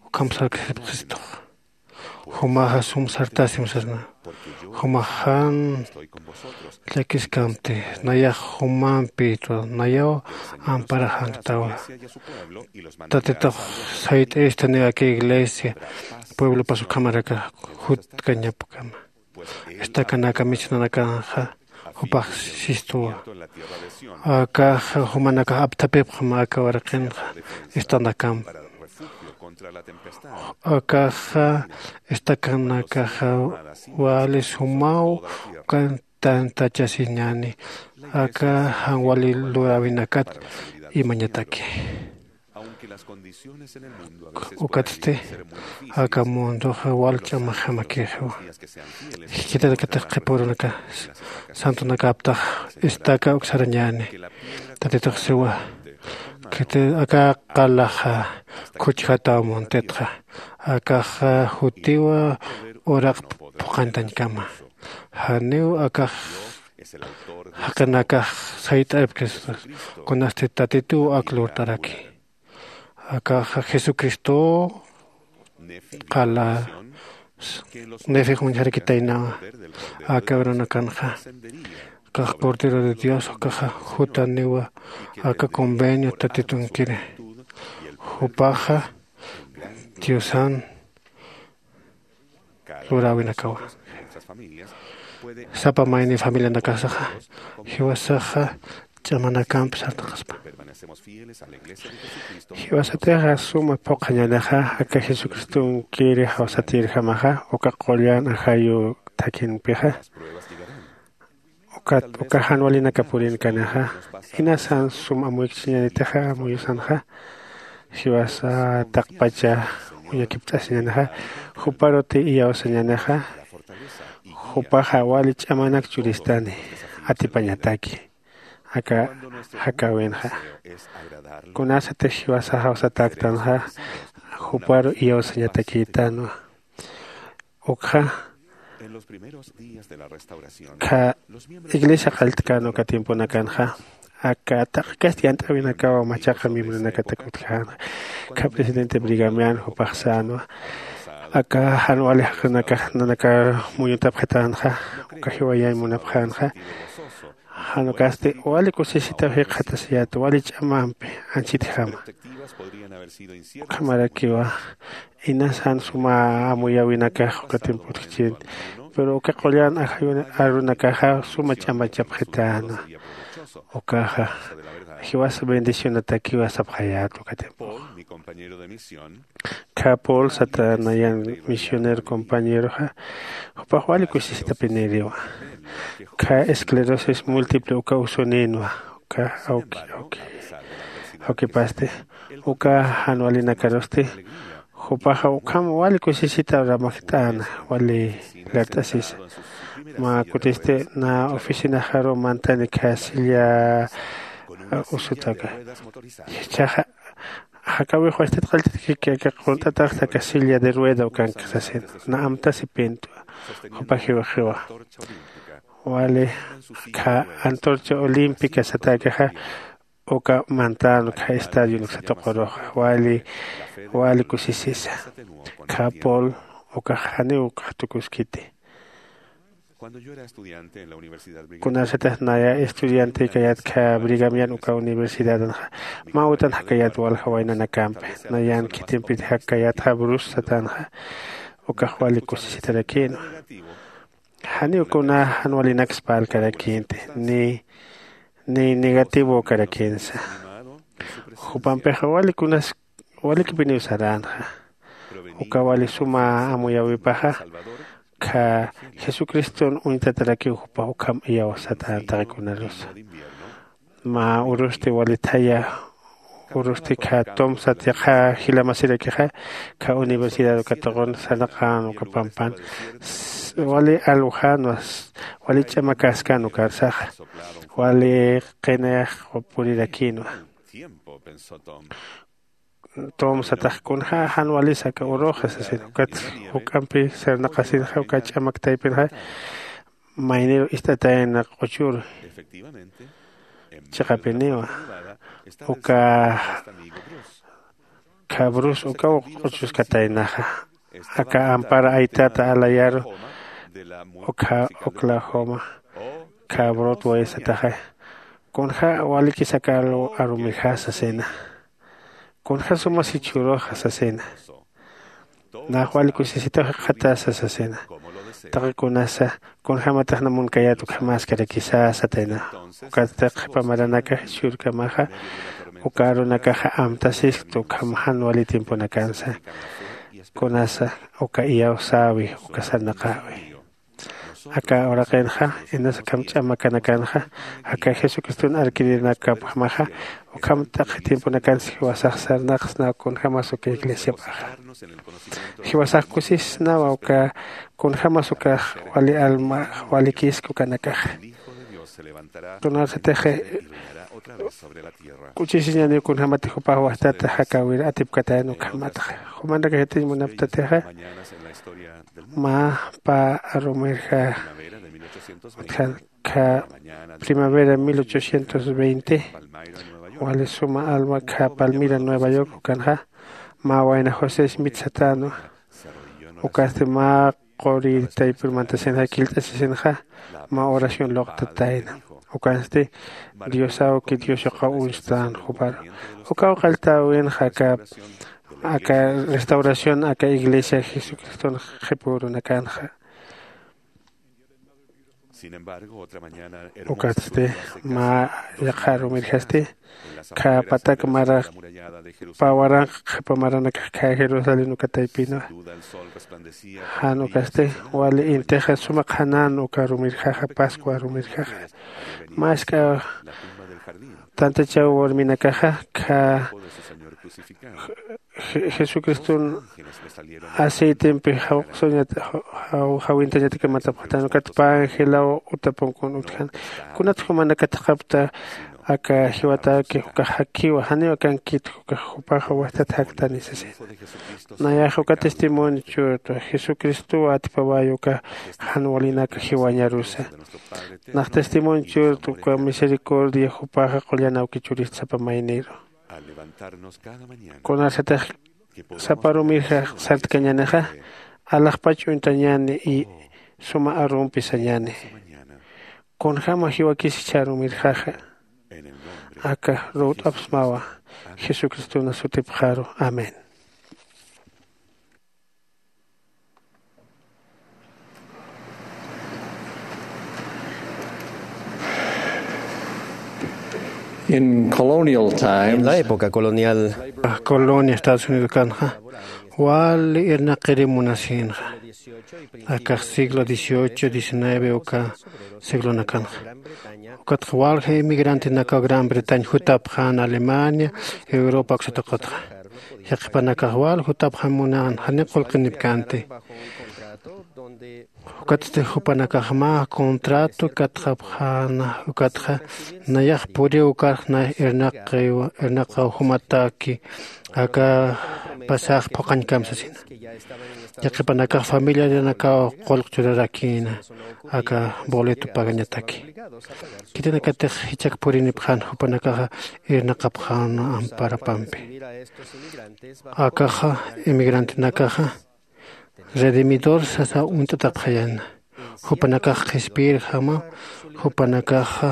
ukham sarkasipxistux. Jumaxa sum sartasim sasna. Jumaxan llakiskamti. Nayax jumampïtwa nayaw amparaxanktawa. Tatitux sayt'ayistaniw aka iglesia pueblopas ukhamarakax jutkañapkama. Estakanaka misionanakanxa jupax sistuwa. Akaxa jumanakax apthapipxma aka waraqinxa estanakamp. Akaxa estakanakaxa wali sumaw ukan tantachasiñäni. Aka jan wali luräwinakat imañataki. Ukatsti aka mundoxa wal ch'amaxamakïxiwa. Jichhatakatix qhipürunaka santonakaptax estaca uksarañäni. Tatitux siwa, khiti aka qalaxa khuchjataw muntitxa. Akaxa jutiwa uraq phuqhantañkama. Janiw akax jaqinakax sayt'apkis kunasti tatituw ak lurt'araki. Akaxa jesucristo qala nefix uñjarakitaynawa. Aka urunakanxa akax cordero de dios ukaxa jutaniwa. Aka convenio tatitunkiri jupaxa diosan luräwinakawa. Sapa mayni familianakasaxa jiwasaxa ch'amanakamp sartaqaspa. Jiwasatixa suma phuqhañänixa aka jesucristonkiri jawsatïrjamaxa uka qullan ajayu thakhinpixa. Ukat uka jan walinaka purinkanixa inasan sum amuykchiñanitixa amuyusanxa jiwasa taqpacha uñakipt'asiñanixa juparuti iyawsañanixa. Jupaxa wali ch'amanak churistani atipañataki aka jakäwinxa. Kunasatix jiwasa jawsatäktanxa juparu iyawsañatakïtanwa. Ukxa kha iglesia qallt'kän uka tiemponakanxa aka taqi kasti yant'äwinakaw machaqa miembronakatak utjänxa. Kha presidente brigamian jupax sänwa aka jan wali jaqinakax nanaka muñutapxitänxa. Uka jiwayañ munapxänxa. Jan ukasti wali kusisitaw jikxatasiyät wali ch'amampi anchhitjama. Ukhamarakiwa inasan suma amuyäwinakax uka tiempo utjchin. Pero uka qullan ajayun arunakaxa suma ch'amachapxitäna. Ukaxa jiwasa bendicionatakiwa sapxayät uka tiempoxa. Kha pol sata nayan misionero compañeroxa jupax wali kusisitapiniriwa. Kha esclerosis múltiple uka usuninwa uka awki awki awkipasti uka jan walinakarusti jupaxa ukham wali kusisita ramakjt'äna wali lart'asisa. Mä kutisti na oficinaxaru mantani kha silla usutaka. Jichhaxa jakäwix wast'it qallt'it kiki aka qunt'ataxta aka silla de rueda ukanka sasin na amtasipintwa. Jupa jiwaxiwa wali kha antorcha olímpica satäkaxa uka mantän uka estadio nuksatuqurux wali wali kusisisa. Kha pol ukax janiw ukax tukuskiti. Kunasatix naya estudiante kayat kha brigamian uka universidadanxa mä utan jakayat walja waynanakampi nayan khitimpit jakayatxa brus satanxa ukax wali kusisitarakïnwa. Janiw kuna jan walinaksa parlkarakïnti ni ni negativo karakinsa. Jupampixa wali kunas walikipiniw saränxa. Uka wali suma amuyäwipaxa kha jesucriston uñtatarakiw jupax ukham iyawsatän taqikunarusa. Mä urusti wali thaya urusti kha tomsat yaqha jilamasirakixa kha universidad ukatuqun sarnaqän uka pampan wali alwjänwa. Wali ch'amakäskän ukarsaxa wali qinayax purirakïnwa. Tom satax kunjä jan walisa aka uruxa sasin ukat juk'ampi sarnaqasinxa uka ch'amak taypinxa mayniru ist'atayna q'uchur chiqapiniwa. Uka khabrus ukaw q'uchuskataynaxa. Aka ampara aytata alayaru ukha oklahoma khabrut waysataxay. Kunja walikis aka arumixa sasina. Kunja suma sichhuruxa sasina. Nax wali kusisitaw jikxatasa sasina. Taqi kunasa kunjämataxna munkayät ukhamäskarakisa satayna. Ukatsti qhipa maranakax jichhürkamaxa uka arunakaxa amtasiskt ukham jan wali tiemponakansa. Kunasa uka iyawsäwi uka sarnaqäwi. Aka uraqinxa inas akham ch'amakanakanxa aka jesucriston arkirinakapjamaxa ukham t'aqhi tiemponakansa jiwasax sarnaqsnaw kunjämas uka iglesiapaxa. Jiwasax kusisnawa uka kunjämas ukax wali alma walikisk ukanakaxa. Tunarsatix k'uchisiñaniw kunjämatix jupax wajtata jakäwir atipkatayan ukhamatxa. Jumanakax yatiñ munaptatixa mä pä arumirja utjan kha primavera mil ochocientos veinte wali suma alma kha palmira nueva york ukanxa mä wayna josé smith satäna. Ukasti mä quri taypir mantasinxa killt'asisinxa mä oración luqtatayna. Ukansti diosawki dios yuqaw uñstän juparu ukaw qalltäwinxa aka aka restauración aka iglesia jesucriston qhipürunakanxa. Ukatsti mä yaqha arumirjasti kha patak mara pä waranqa qhipa maranakax kha jerusalén uka taypinwa. Jan ukasti wali intixa suma qhanän uka arumirjaxa pascua arumirjaxa. Mä isk'a tantachaw warminakaxa kha jesucriston aceitempi jawqsuñat jawintañataki matapxtan ukat pä angelaw utapunkun utjan. Kunat jumanakatxapta aka jiwataki ukax jakiwa janiw akankit ukax jupaxa wajtat jaktani sasina. Nayax uka testimonio churtwa jesucristow atipaway uka jan walinak jiwañarusa. Nax testimonio churtwa uka misericordia jupaxa qullan awkichurist sapa mayniru. Kunarsatix sapa arumirja sartkañänixa alaxpach uñtañäni y suma arumpi sañäni. Kunjäma jiwakis jichha arumirjaxa aka ruwt'apxsmawa jesucristona sutipxaru. Amén. In colonial times, en la época colonial, colonia estados unidos kanxa wali irnaqiri munasinxa. Akax siglo dieciocho diecinueve uka siglonakanxa ukatxa walja emigrantenakaw gran bretaña jutapxän alemania, europa uksataqatxa. Yaqhipanakax wal jutapxän munän jani qullqinipkänti. Ukatsti jupanakax mä contrato katxapxäna ukatxa nayax puriw ukarx nay irnaqaw jumataki aka pasax phuqañkam sasina. Yaqhipanakax familiarinakaw qullq churarakïna aka boleto pagañataki. Khitinakatix jichhak purinipxän jupanakaxa irnaqapxäna amparapampi. Akaxa emigrantenakaxa redimidor sasa uñt'atapxayäna. Jupanakax qhispiyirjama jupanakaxa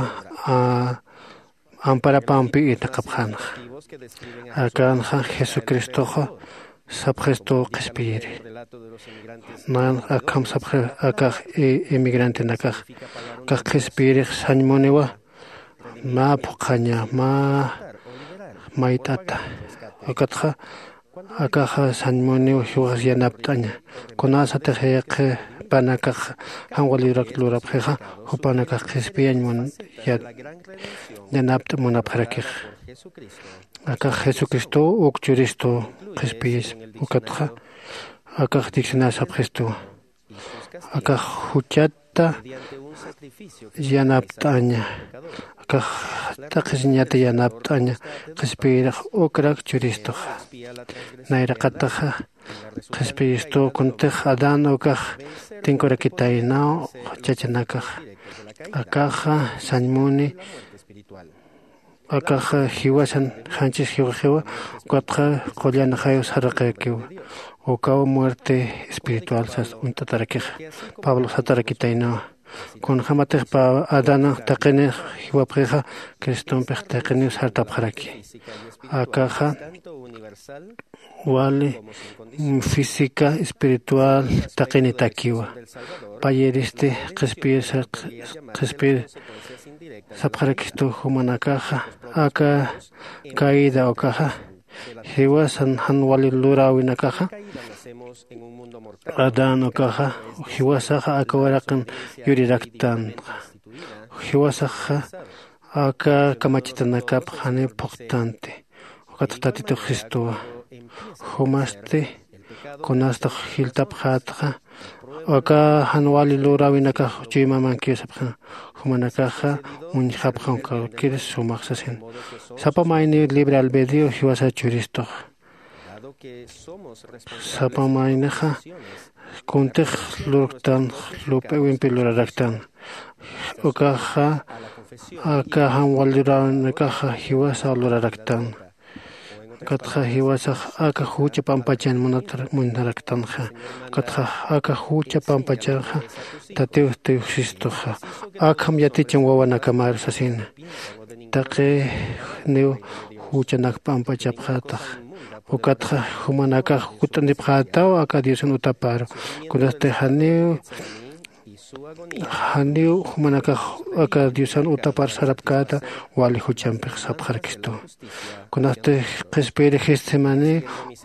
amparapampi irnaqapxänxa. Akanxa jesucristoxa sapxistuw qhispiyiri. Nanxa akham sapxi akax emigrantenakax akax qhispiyirix sañmuniwa mä phuqhaña mä mayt'ata. Ukatxa akaxa sañmuniw jiwaxas yanapt'aña. Kunasatix yaqhipanakax janwa librak lurapxixa jupanakax qhispiyañ mun yanapt'a munapxarakix. Akax jesucristow uk churistu qhispiyis ukatxa akax diccionario sapxistuwa. Akax juchatta yanapt'aña akax t'aqhisiñata yanapt'aña qhispiyirix ukrak churistuxa. Nayraqataxa qhispiyistux kuntix adán ukax tinkurakitaynaw chachanakaxa. Akaxa sañmuni, akaxa jiwasan janchis jiwaxiwa, ukatxa qullan jayu saraqirakiwa. Ukaw muerte espiritual sas uñt'atarakixa. Pablo satarakitaynawa, kunjämatix pa adana taqinix jiwapxixa, cristompix taqiniw sartapxaraki. Akaxa wali física espiritual taqinitakiwa. Payiristi qhispiyir qhispiyir sapxarakistu jumanakaxa, aka caída ukaxa jiwasan jan wali luräwinakaxa. Adán ukaxa jiwasaxa aka waraqin yuriraktan. Jiwasaxa aka kamachitanakap janiw phuqtanti. Ukat tatitux jistuwa. Jumasti kunastux jilltapxätxa, aka jan wali luräwinakax chuymamankiw sapxi. Jumanakaxa uñjapxam cualquier sumax sasin. Sapa mayniw libre albedrío jiwasa churistux. Sapa maynixa kuntix lurktan, lup'iwimpi luraraktan. Ukaxa aka jan wali luräwinakaxa jiwasa luraraktan. Ukatxa jiwasax aka jucha pampachan munatar muñnaraktanxa. Ukatxa aka jucha pampachanxa tatiw tiyuxsistuxa. Akham yaticham wawanakamaru sasina. Taqiniw juchanak pampachapxätax. Ukatxa jumanakax kutt'antipxätaw aka Diosan utaparu. Kunasti janiw janiw jumanakax aka Diosan utapar sarapkäta wali juchampix sapxarakistu. Kunasti qhispiyiri Getsemaní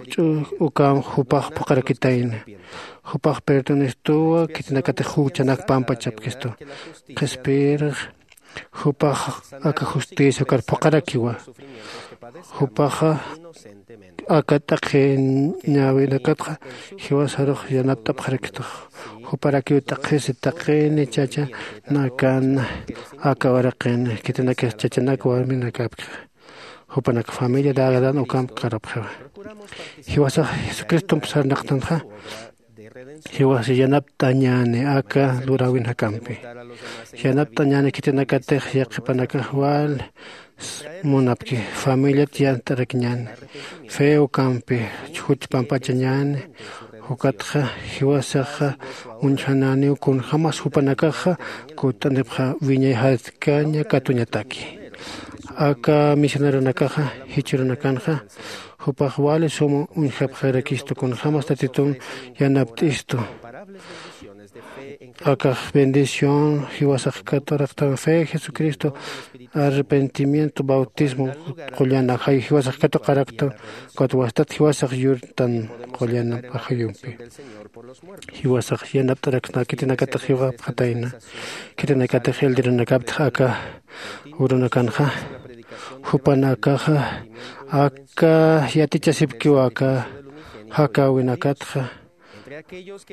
ch'u ukam jupax phuqarakitayna. Jupax perdonistuwa khitinakatix juchanak pampachapkistu. Qhispiyirix jupax aka justicia ukar phuqarakiwa. Jupaxa aka t'aqhiñäwinakatxa jiwasarux yanapt'apxarakistux. Juparakiw t'aqhisi taqini chachanakan aka waraqin khitinakix chachanak warminakapkixa. Jupanak familia dagadan ukamp karapxiwa. Jiwasax jesucristomp sarnaqtanxa. Jiwas yanapt'añäni aka luräwin jakampi. Yanapt'añäni khitinakatix yaqhipanakax wal munapki familiat yant'arakiñäni. Fe ukampi juch pampachañäni. Ukatxa jiwasaxa uñjanäniw kunjämas jupanakaxa kutt'antipxa wiñay jatkaña katuñataki. Aka misioneronakaxa jichhürunakanxa jupax wali suma uñjapxarakistu kunjämas tatitun yanapt'istu. Akax bendición jiwasax katuraktan fe Jesucristo, arrepentimiento, bautismo qullan ajay jiwasax katuqaraktan. Ukat wastat jiwasax yurtan qullan ajayumpi. Jiwasax yanapt'araktan khitinakatix jiwapxatayna. Khitinakatix elderonakaptix aka urunakanxa jupanakaxa aka yatichasipkiw aka jakäwinakatxa.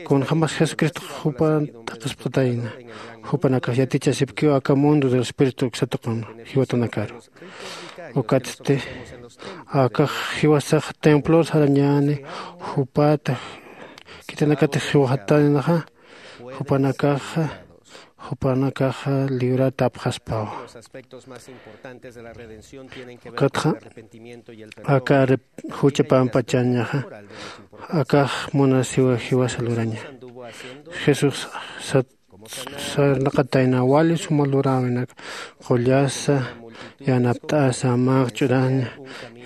Kunjämas jesucristox jupan t'aqhispxatayna. Jupanakax yatichasipkiw aka mundo del espíritu uksa tuqun jiwatanakaru. Ukatsti akax jiwasax templor sarañäni. Jupata khitinakatix jiwxataynaxa. Jupanakaxa jupanakaxa liwratapxaspawa. Ukatxa aka jucha pampachañaxa akax munasiwa jiwasa luraña. Jesús sarnaqatayna wali suma luräwinak qullasa yanapt'asa manqch'uraña.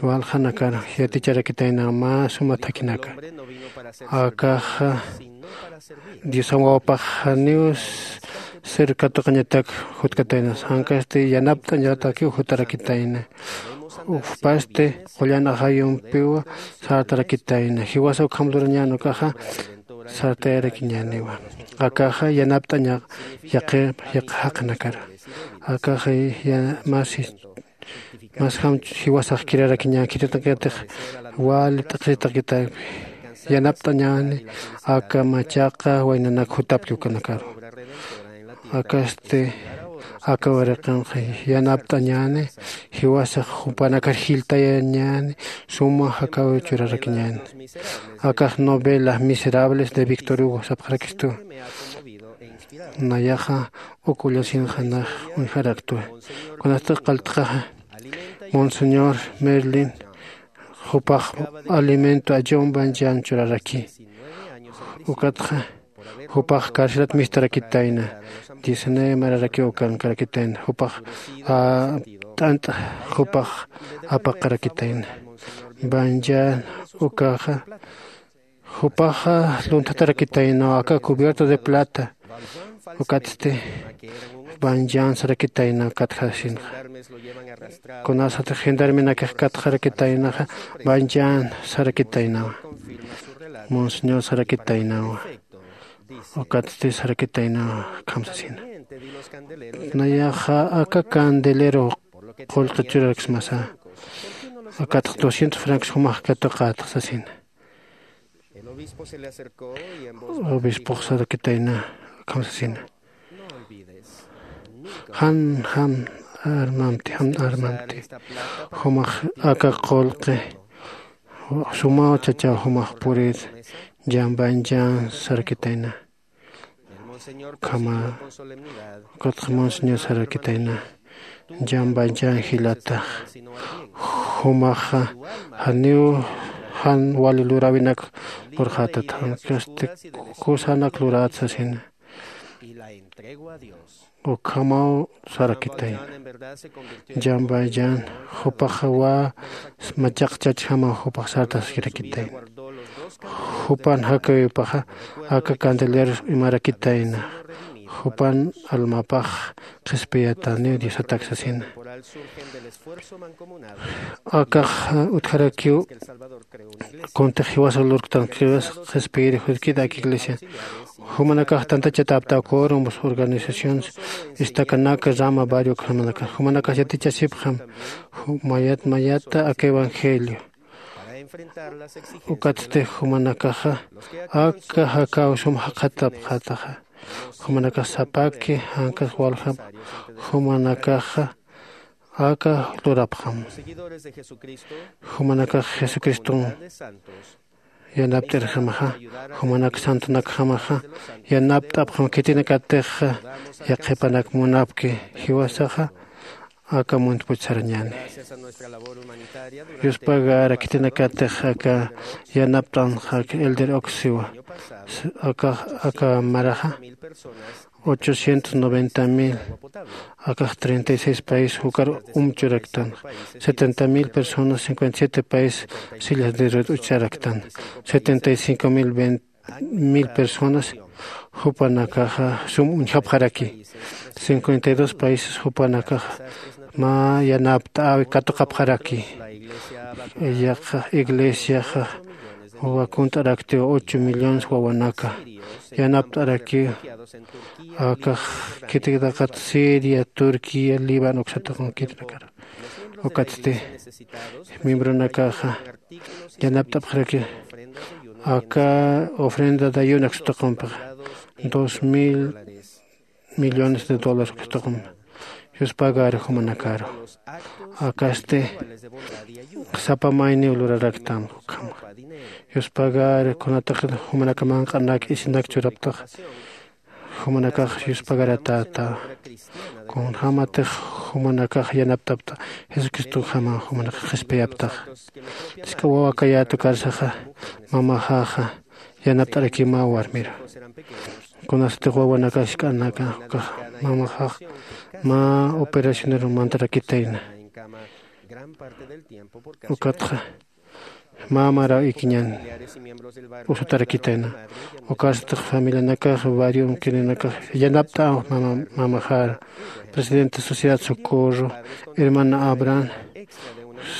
Waljanakar yaticharakitayna mä suma thakhinaka. Akaxa diosan wawapax janiw ser katuqañatak jutkataynas jankasti yanapt'añatakiw jutarakitayna. Ujpasti qullan ajayumpiw sartarakitayna jiwasa ukham lurañän ukaxa sartayarakiñäniwa. Akaxa yanapt'aña yaqi yaqi jaqinakara. Akaxa ya- masi masjam jiwasax kirarakiñän khitinakatix wali t'aqhisitakitaypi yanapt'añäni. Aka machaqa waynanak jutapki ukanakaru. Akasti aka waraqinxa yanapt'añäni. Jiwasax jupanakar jilltayañäni suma jakäwiw churarakiñäni. Akax novela miserables de victor hugo sapxarakistu. Nayaxa uk ullasinxa nax uñjaraktwa. Kunatix qaltxaxa, monseñor Merlin jupax alimento ajumban jan churaraki. Ukatxa jupax carcelat mistarakitayna. Diecinueve mararakiw ukankarakitayna jupax t'ant'a jupax apaqarakitayna. Banjan ukaxa jupaxa luntatarakitaynaw aka cubierto de plata. Ukatsti banjan sarakitaynaw katjasinxa. Kunasatix gendarmenakix katxarakitaynaxa banjan sarakitaynawa. Monseñor sarakitaynawa. Ukatsti sarakitaynawa khamsasina. Nayaxa aka candelero qullqi churaraksmasa. Akatx doscientos francos jumax katuqätx sasina. Obispox sarakitayna khamsasina. Jan jan armamti jan armamti jumax aka qullqi sumaw chachaw jumax purir. Jan banjan sarakitayna. Ukhama ukatxa monseñor sarakitayna. Jan banjan jilatax jumaxa janiw jan wali luräwinak lurxätat jankasti kusanak lurät sasina. Ukhamaw sarakitayna. Jan banjan jupaxa wä machaq chachjamaw jupax sartaskirakitayna. Jupan jakäwipaxa aka candeleros imarakitayna. Jupan almapax qhispiyataniw diosatak sasina. Akax utjarakiw kuntix jiwasa lurktan jiwas qhispiyiri jutkit ak iglesia. Jumanakax tantachatäptaw quorums organizaciones estacanaka rama barrio ukhamanakax jumanakax yatichasipxam mayat mayata aka evangelio. Ukatsti jumanakaxa aka jakäw sum jaqhatapxätaxa. Jumanakax sapaki jankas waljam jumanakaxa aka lurapxam. Jumanakax jesucriston yanapt'irjamaxa jumanak santonakjamaxa yanapt'apxam khitinakatixa yaqhipanak munapki jiwasaxa aka muntpuch sarañäni. Yuspagara khitinakatix aka yanapt'anxa aka elder oxiwa aka aka maraxa ochocientos noventa mil akax treinta y seis país jukar umchuraktan. Setenta mil personas cincuenta y siete país sillas de rued ucharaktan. Setenta y cinco mil veinte mil personas jupanakaxa sum uñjapxaraki. Cincuenta y dos países jupanakaxa mä yanapt'äwi katuqapxaraki. Iglesiaxa wakunt'araktiw ocho millones wawanaka yanapt'arakiw. Akax khitinakatix siria turquía líbano uksataqunkitinakar. Ukatsti miembronakaxa yanapt'apxaraki aka ofrenda dayunak sutuqumpixa dos mil millones de dólares uksutuqumpi. Yuspagari jumanakaru akasti sapa mayniw luraraktan ukhama. Yuspagari kunatix jumanaka manq'anak isinak churaptaxa jumanakax yuspagaratäta. Kunjämatix jumanakax yanaptapta jesucristonjama jumanakax qhispiyaptaxa. Jisk'a wawa kayätu karsaxa mamaxaxa yanapt'arakiw mä warmiru. Kunasatix wawanakax jisk'anaka ukax mamaxax mä operacioneru mantarakitayna. Ukatxa mä maraw ikiñan usutarakitayna. Ukasatix familianakax barrio unkirinakax yanapt'aw mamaxar presidente sociedad socorro hermana abraham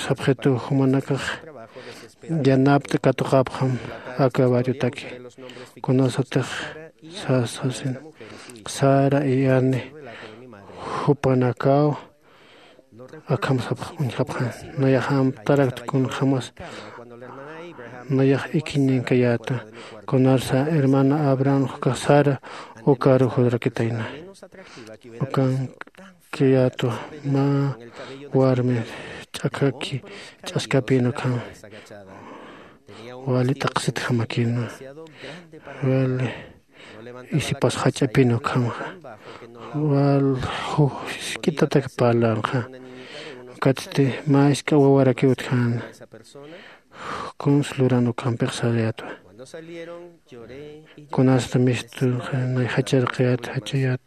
sapxitu jumanakax yanapt'a katuqapxam aka barriotaki. Kunasatix sasasin sara iyani jupanakaw akham sapx uñjapxan. Nayax amtarakta kunjämas nayax ikiñankayäta. Kunarsa hermana abraham ukax sara ukaru jurakitayna. Ukankayätwa mä warmi ch'akhaki ch'askapïn ukham wali t'aqsitjamakïnwa. Wali Isipas jach'apin ukhamxa wal jusk'itatak parlanxa. Ukatsti mä isk'a wawarakiw utjäna. Kuns luran ukampix sarayätwa. Kunasta mistunxa nay jacharqiyät jachayät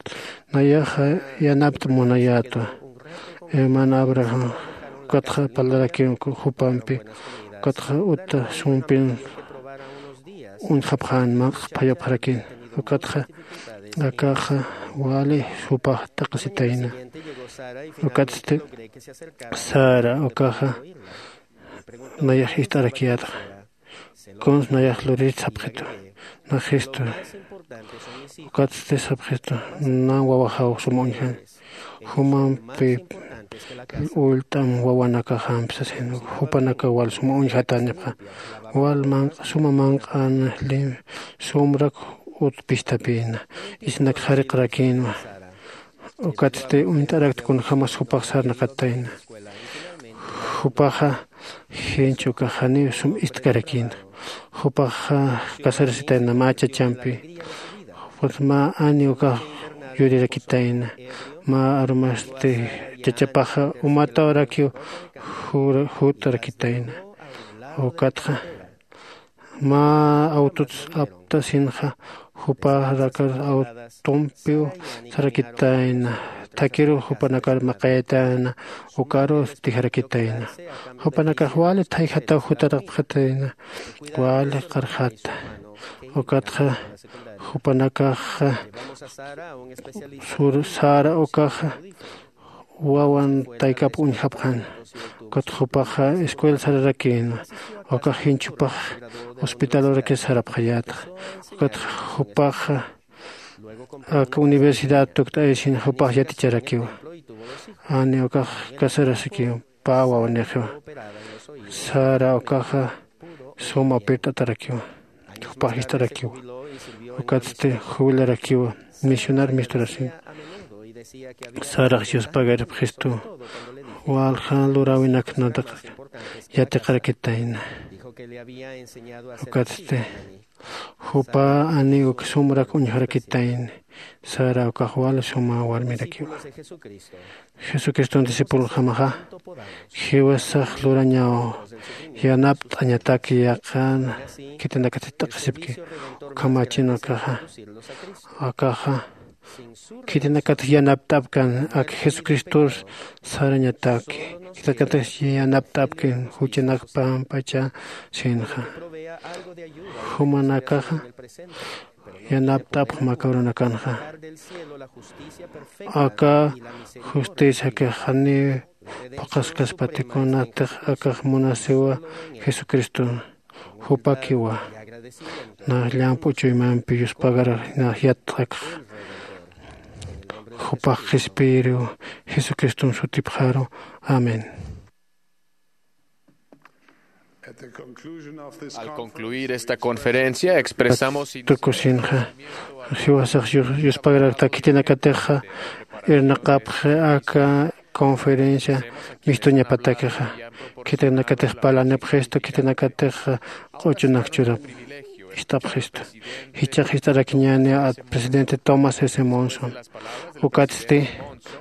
nayaxa yanapt'a munayätwa. Hermano abraham ukatxa parlarakiw jupampi ukatxa uta sumpin uñjapxän manq'sphayapxarakin. Ukatxa akaxa wali jupax t'aqasitayna. Ukatsti sara ukaxa nayax ist'arakiyätxa. Kuns nayax lurit sapxitwa nax jistu. Ukatsti sapxistu nan wawaxaw sum uñjan jumampi ullt'am wawanakaxampi sasin jupanakaw wal sum uñjatanipxa. Wal manq'a suma manq'an lim sumrak utpistapïna isnak jariqrakinwa. Ukatsti uñt'arakta kunjämas jupax sarnaqatayna. Jupaxa jinch ukax janiw sum ist'karakïna. Jupaxa casarasitayna mä chachampi. Jupax mä ani ukax yurirakitayna. Mä arumasti chachapaxa umatawrakiw jutarakitayna. Ukatxa mä awtuts aptasinxa juparakar awtumpiw sarakitayna. Thakiruw jupanakar maqayatayna ukarus tijarakitayna. Jupanakax wali thayjataw jutarapxatayna wali qarjata. Ukatxa jupanakaxa sara ukaxa wawan taykap uñjapxan. Ukatxa jupaxa escuela sararakïna. Ukax jinchupax hospitalurakis sarapxayätxa. Ukatxa jupaxa aka universidad tukt'ayasin jupax yaticharakiwa. Ani ukax casarasikiw pä wawanixiwa. Sara ukaxa suma pirt'atarakiwa. Jupax jist'arakiwa. Ukatsti jubilarakiwa misionar misturasin. Sarax yuspagaripxistu walja luräwinaknataq yatiqarakitayna. Ukatsti jupa ani uk sumrak uñjarakitayni. Sara ukax wal suma warmirakiwa. Jesucriston discipulojamaxa jiwasax lurañaw yanapt'añataki yaqan khitinakatix t'aqhisipki. Ukhamachin akaxa akaxa khitinakatix yanapt'apkan ak jesucristor sarañataki khitinakatix yanapt'apkin juchanak pampacha sinxa. Jumanakaxa yanapt'apxam aka urunakanxa. Aka justiciakix janiw phuqhaskaspati kunatix akax munasiwa jesucriston. Jupakiwa nax llamp'u chuymampi yuspagarar nax yatt'akxa. Jupax qhispiyiriw jesucriston sutipxaru. Amén. Al concluir esta conferencia expresamos tukusinxa jiwasax yuspagrakta khitinakatixa irnaqapxi aka conferencia mistuñapatakixa. Khitinakatix parlanipxistu khitinakatixa q'uchunak churap ist'apxistu. Jichhax jist'arakiñäni presidente tomás s monson. Ukatsti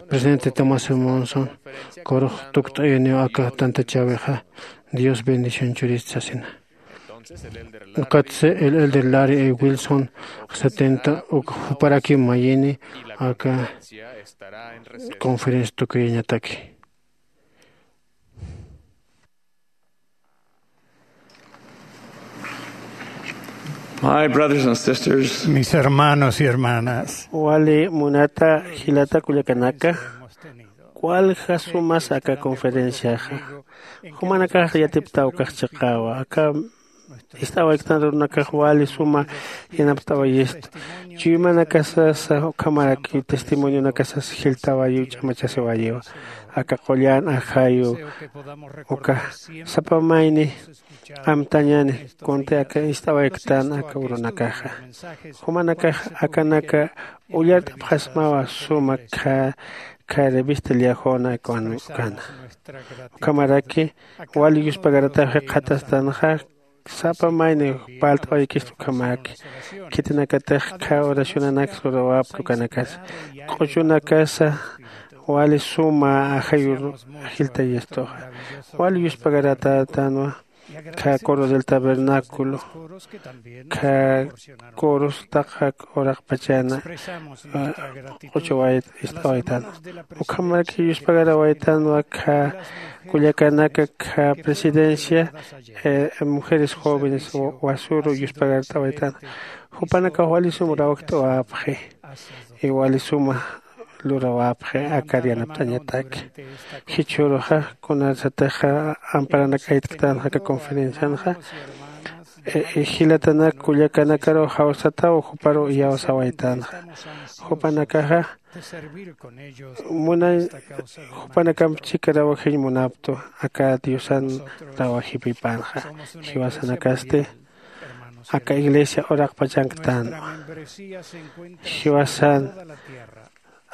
presidente tomás s monson kurux tukt'ayuniw aka tantachäwixa. Dios bendición churit sasina. Ukatsi el elder larry e wilson setenta uk juparakiw mayini aka conferencia tukuyañataki. My brothers and sisters, mis hermanos y hermanas, wali munata jilata kullakanaka, walja sumas aka conferenciaxa. Jumanakax yatiptaw kax chiqawa aka ist'awayktan runakax wali suma yanapt'awayista. Chuymanakasasa ukhamaraki testimonionakasasa jiltawayiw ch'amachasiwayiwa. Aka qullan ajayu uka sapa mayni amtañani kunti aka ist'awayktan aka urunakaxa. Jumanakax akanaka ullart'apxasmawa suma kha kha revista liajona ukana. Ukhamaraki wali yuspagarataw jikxatastanxa sapa mayni palt'awaykistu ukhamaki. Khitinakatix khä oracionanaks lurawapki ukanakasa. Q'uchunakasa wali suma ajayur jiltayistuxa. Wali yuspagaratätanwa khä coro del tabernáculo, khä coros taqak uraqpachana q'uchawayt ist'awaytanwa. Ukhamaraki yuspagarawaytanwa khä kullakanaka khä presidencia mujeres jóvenes wasuru yuspagart'awaytanwa. Jupanakax wali sum rawjt'awapxi. Iwali suma lurawapxi akar yanapt'añataki. Jichhüruxa kunarsatixa amparanak aytktanxa aka conferencianxa jilatanak kullakanakaru jawsataw juparu iyawsawaytanxa. Jupanakaxa muna jupanakamp chika rawajiñ munaptu aka diosan rawajipipanxa. Jiwasanakasti aka iglesia uraqpachanktanwa. Jiwasan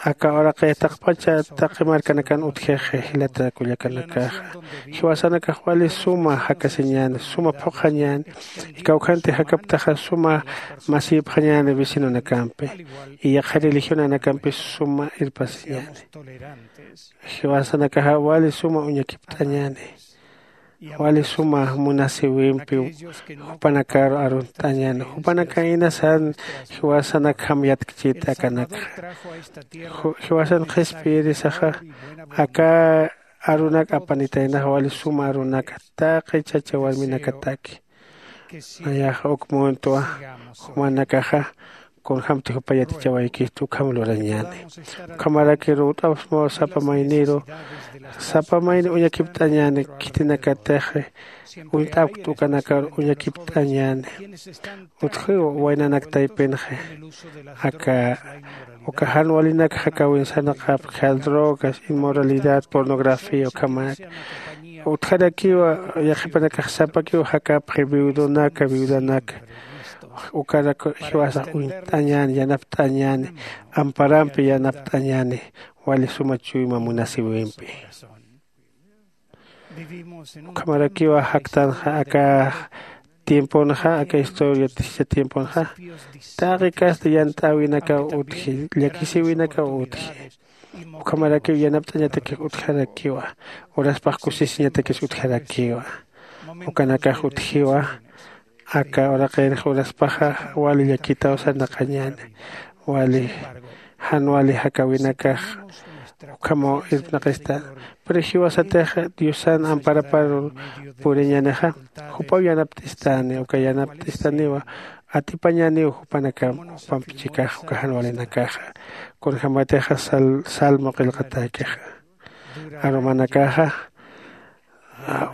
aka uraqi taqpacha taqi markanakan utjixi jilata kullakanakaxa. Jiwasanakax wali suma jakasiñäni suma phuqhañäni. Kawkhanti jakaptaxa suma masipxañäni vecinonakampi. Iyaqha religionanakampis suma irpasiñäni. Jiwasanakaxa wali suma uñakipt'añäni. Wali suma munasiwimpi jupanakaru arunt'añäni. Jupanaka inasan jiwasanakjam yatkchit akanakxa. Jiwasan qhispiyirisaxa aka arunak apanitaynaxa wali suma arunaka taqi chacha warminakataki. Nayaxa uk muntwa jumanakaxa kunjämti jupa yatichawaykistu ukham lurañäni. Ukhamarakiru ut'apxsmaw sapa mayniru sapa mayni uñakipt'añäni. Khitinakatixi uñt'apkt ukanakar uñakipt'añäni. Utjiw waynanak taypinxi aka uka jan walinak jakäwin sarnaqapki drogas inmoralidad pornografía ukhamanak. Utjarakiwa yaqhipanakax sapakiw jakapxi viudonaka viudanaka. Ukarak jiwasax uñt'añäni yanapt'añäni amparampi yanapt'añäni wali suma chuyma munasiwimpi. Ukhamarakiwa jaktanxa aka tiemponxa aka historia tischa tiemponxa taqi kasta yant'äwinakaw utji llakisïwinakaw utji. Ukhamarakiw yanapt'añatakix utjarakiwa uraspax kusisiñatakis utjarakiwa. Ukanakax utjiwa aka uraqinx uraspaxa wali llakitaw sarnaqañäni. Wali jan wali jakäwinakax ukhamaw irpnaqista. Pero jiwasatix diosan amparapar puriñänixa jupaw yanapt'istani uka yanapt'istaniwa atipañäniw jupanakam jupamp chikax uka jan walinakaxa. Kunjämatixa salmo qillqatäkixa arumanakaxa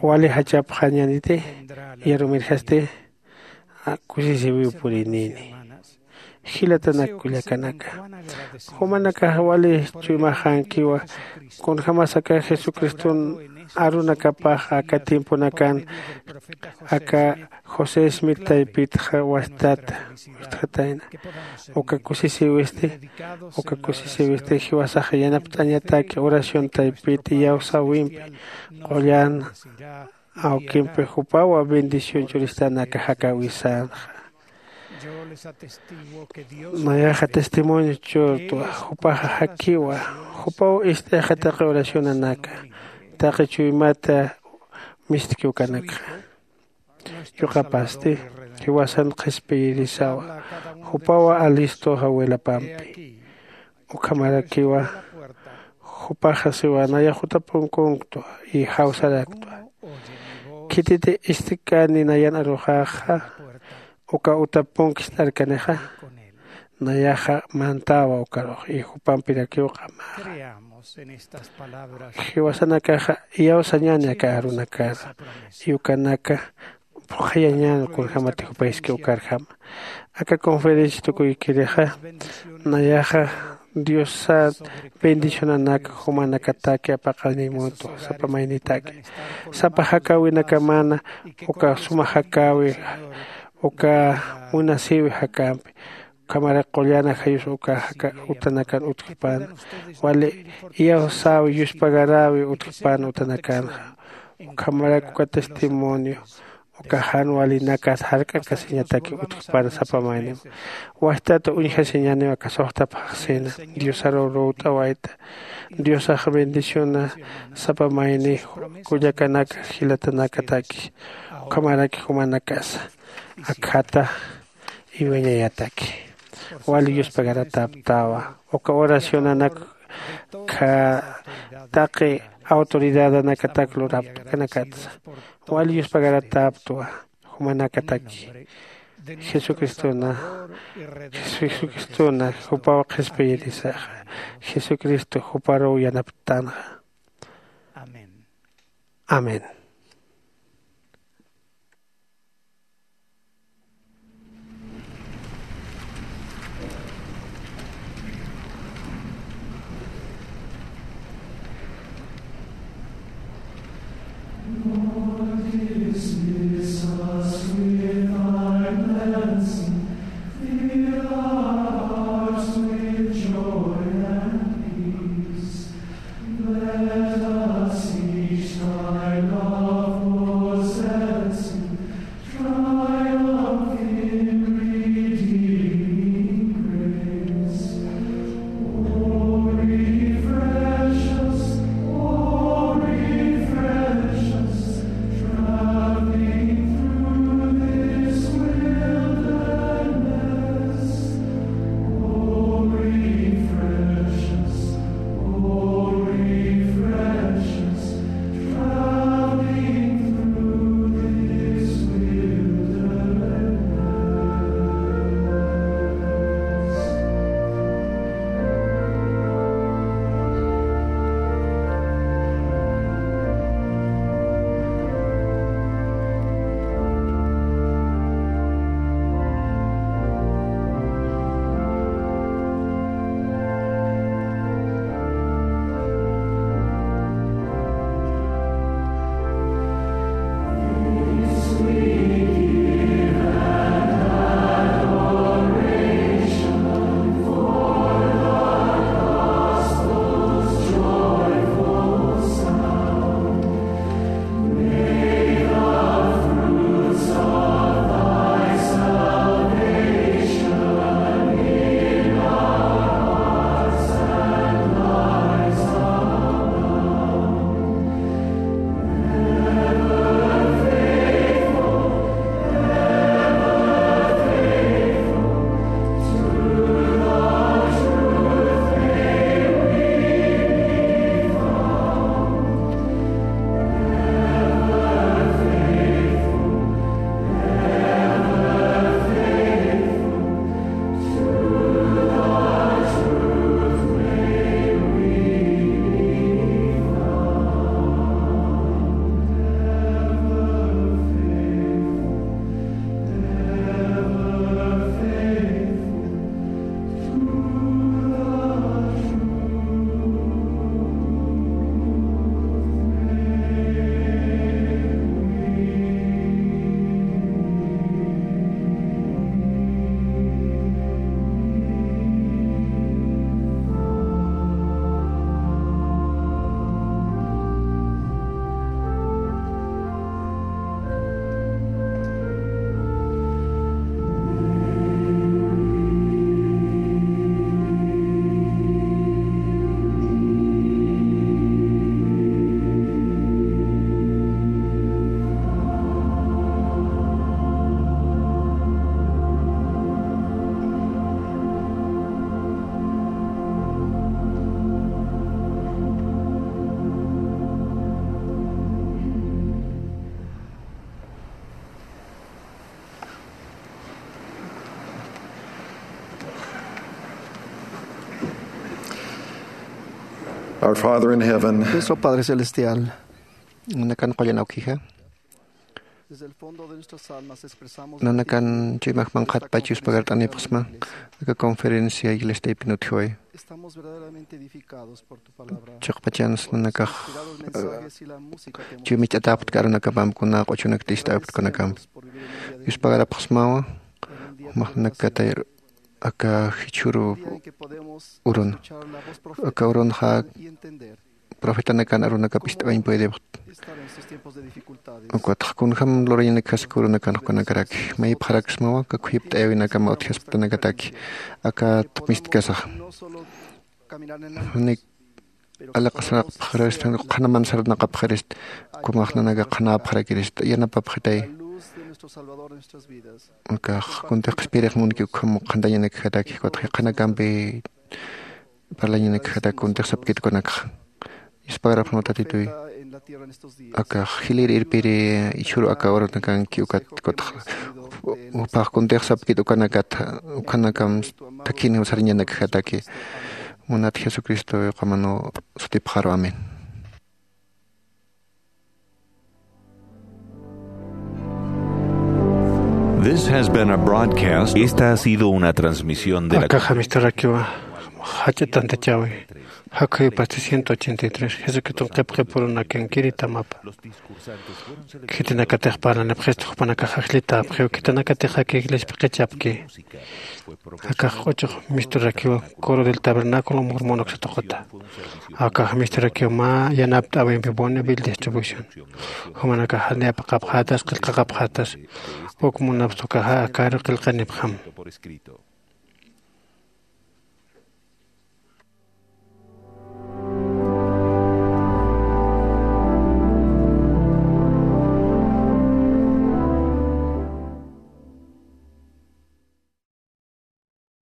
wali jachapxañäniti. Yarumirjasti kusisïwiw purinïni. Jilatanak kullakanaka jumanakax wali chuymaxänkiwa. Kunjämas aka jesucriston arunakapax aka tiemponakan aka josé smith taypitxa wastata wistxatayna. Uka kusisïwisti uka kusisïwisti jiwasaxa yanapt'añataki oración taypit iyawsäwimpi qullan awkimpi jupawa bendición churistanaka jakäwisänxa. Nayaxa testimonio churtwa jupaxa jakiwa jupaw ist'ayaxa taqi oracionanaka taqi chuymata mistki ukanakxa. Yuqapasti jiwasan qhispiyirisawa jupawa alistoxa wilapampi. Ukhamarakiwa jupaxa siwa nayax utapunkunktu y jawsaraktwa. Khititi istkani nayan aruxaxa uka utapunki ist'arkanixa nayaxa mantawa ukarux y jupampirakiw q'amaxa. Jiwasanakaxa iyawsañani aka arunakara y ukanaka phuqhayañan kunjämati jupayski ukarjama. Aka conferencia tukuykirixa nayaxa diosat bendicionanaka jumanakataki apaqanimutu sapa maynitaki sapa jakäwinakamana uka suma jakäwi uka munasïwi jakämpi. Ukhamaraki qullana jayus uka jaka utanakan utjpan wali iyawsäwi yuspagaräwi utjpan utanakanxa. Ukhamaraki uka testimonio Uka jan walinakat jark'akasiñataki utjpana sapa maynim. Wajtat uñjasiñaniw aka suxta phaxsina. Diosaruw ruwt'awayta. Diosax bendiciona sapa mayni kullakanaka jilatanakataki. Ukhamaraki jumanakasa akhata iwiñayataki. Wali yuspagarataptawa. Uka oracionanak kha taqi autoridadanakatak lurapt'kanakatsa. Wali yuspagarataptwa jumanakataki. Jesucristona, Jesucristona jupaw qhispiyirisaxa. Jesucristo juparuw yanaptanxa. Amén. Let us each thy love possess, triumph in redeeming grace. O refresh us, O refresh us, traveling through this wilderness. O refresh us, O refresh us, traveling through this wilderness. Our Father in heaven, Nuestro Padre Celestial, nanakan qullan awkija, nanakan chuymax manqhatpach yuspagart'anipxsma aka conferencia iglesia taypin utjiway. Chiqpachans nanakax chuymicht'atäpkta arunakapamp kuna q'uchunak t'istäpkta kunakamp. Yuspagarapxsmawa jumax nanakatayr aka jichhüru urun, aka urunxa profetanakan arunakap ist'awañ puedipxt. Ukatxa kunjam lurañanakjasik urunakan jukanakaraki maypxaraksmawa aka khuyipt'ayawinakama utjasiptanakataki akat mistkasaxa. Janik alaqasaraqpxarist, qhanaman sarnaqapxarist, kumaxnanaka qhanapxarakirist yanapapxitay. Akax kuntix qhispiyirix munki ukham qhantañanakjataki ukatxa qhanakampi parlañanakjataki kuntix sapkit ukanakxa. Yuspagarapxnaw tatituy. Akax jilïr irpiri ichhuru aka urunakanki ukat ukatxa jupax kuntix sapkit ukanakat ukhanakam thakhiniw sariñanakjataki. Munat jesucristo yuqamanu sutipxaru amén. This has been a broadcast. Esta ha sido una transmisión de la Akaxa misturakiwa jach'a tantachawi jakhuy pasti ciento ochenta y tres jesucriston qhipqipurunakankiri tamapa. Khitinakatix parlanipxista jupanakax ajllitäpxiw khitinakatix aka iglesiapi qichapki. Akax q'uchux misturakiw coro del tabernáculo murmon uksatuquta. Akax misturakiw mä yanapt'äwimpi bonneville distribución. Jumanakax janiyapaqapxätas qillqaqapxätas. Uk munapxta ukaxa akaru qillqanipxam.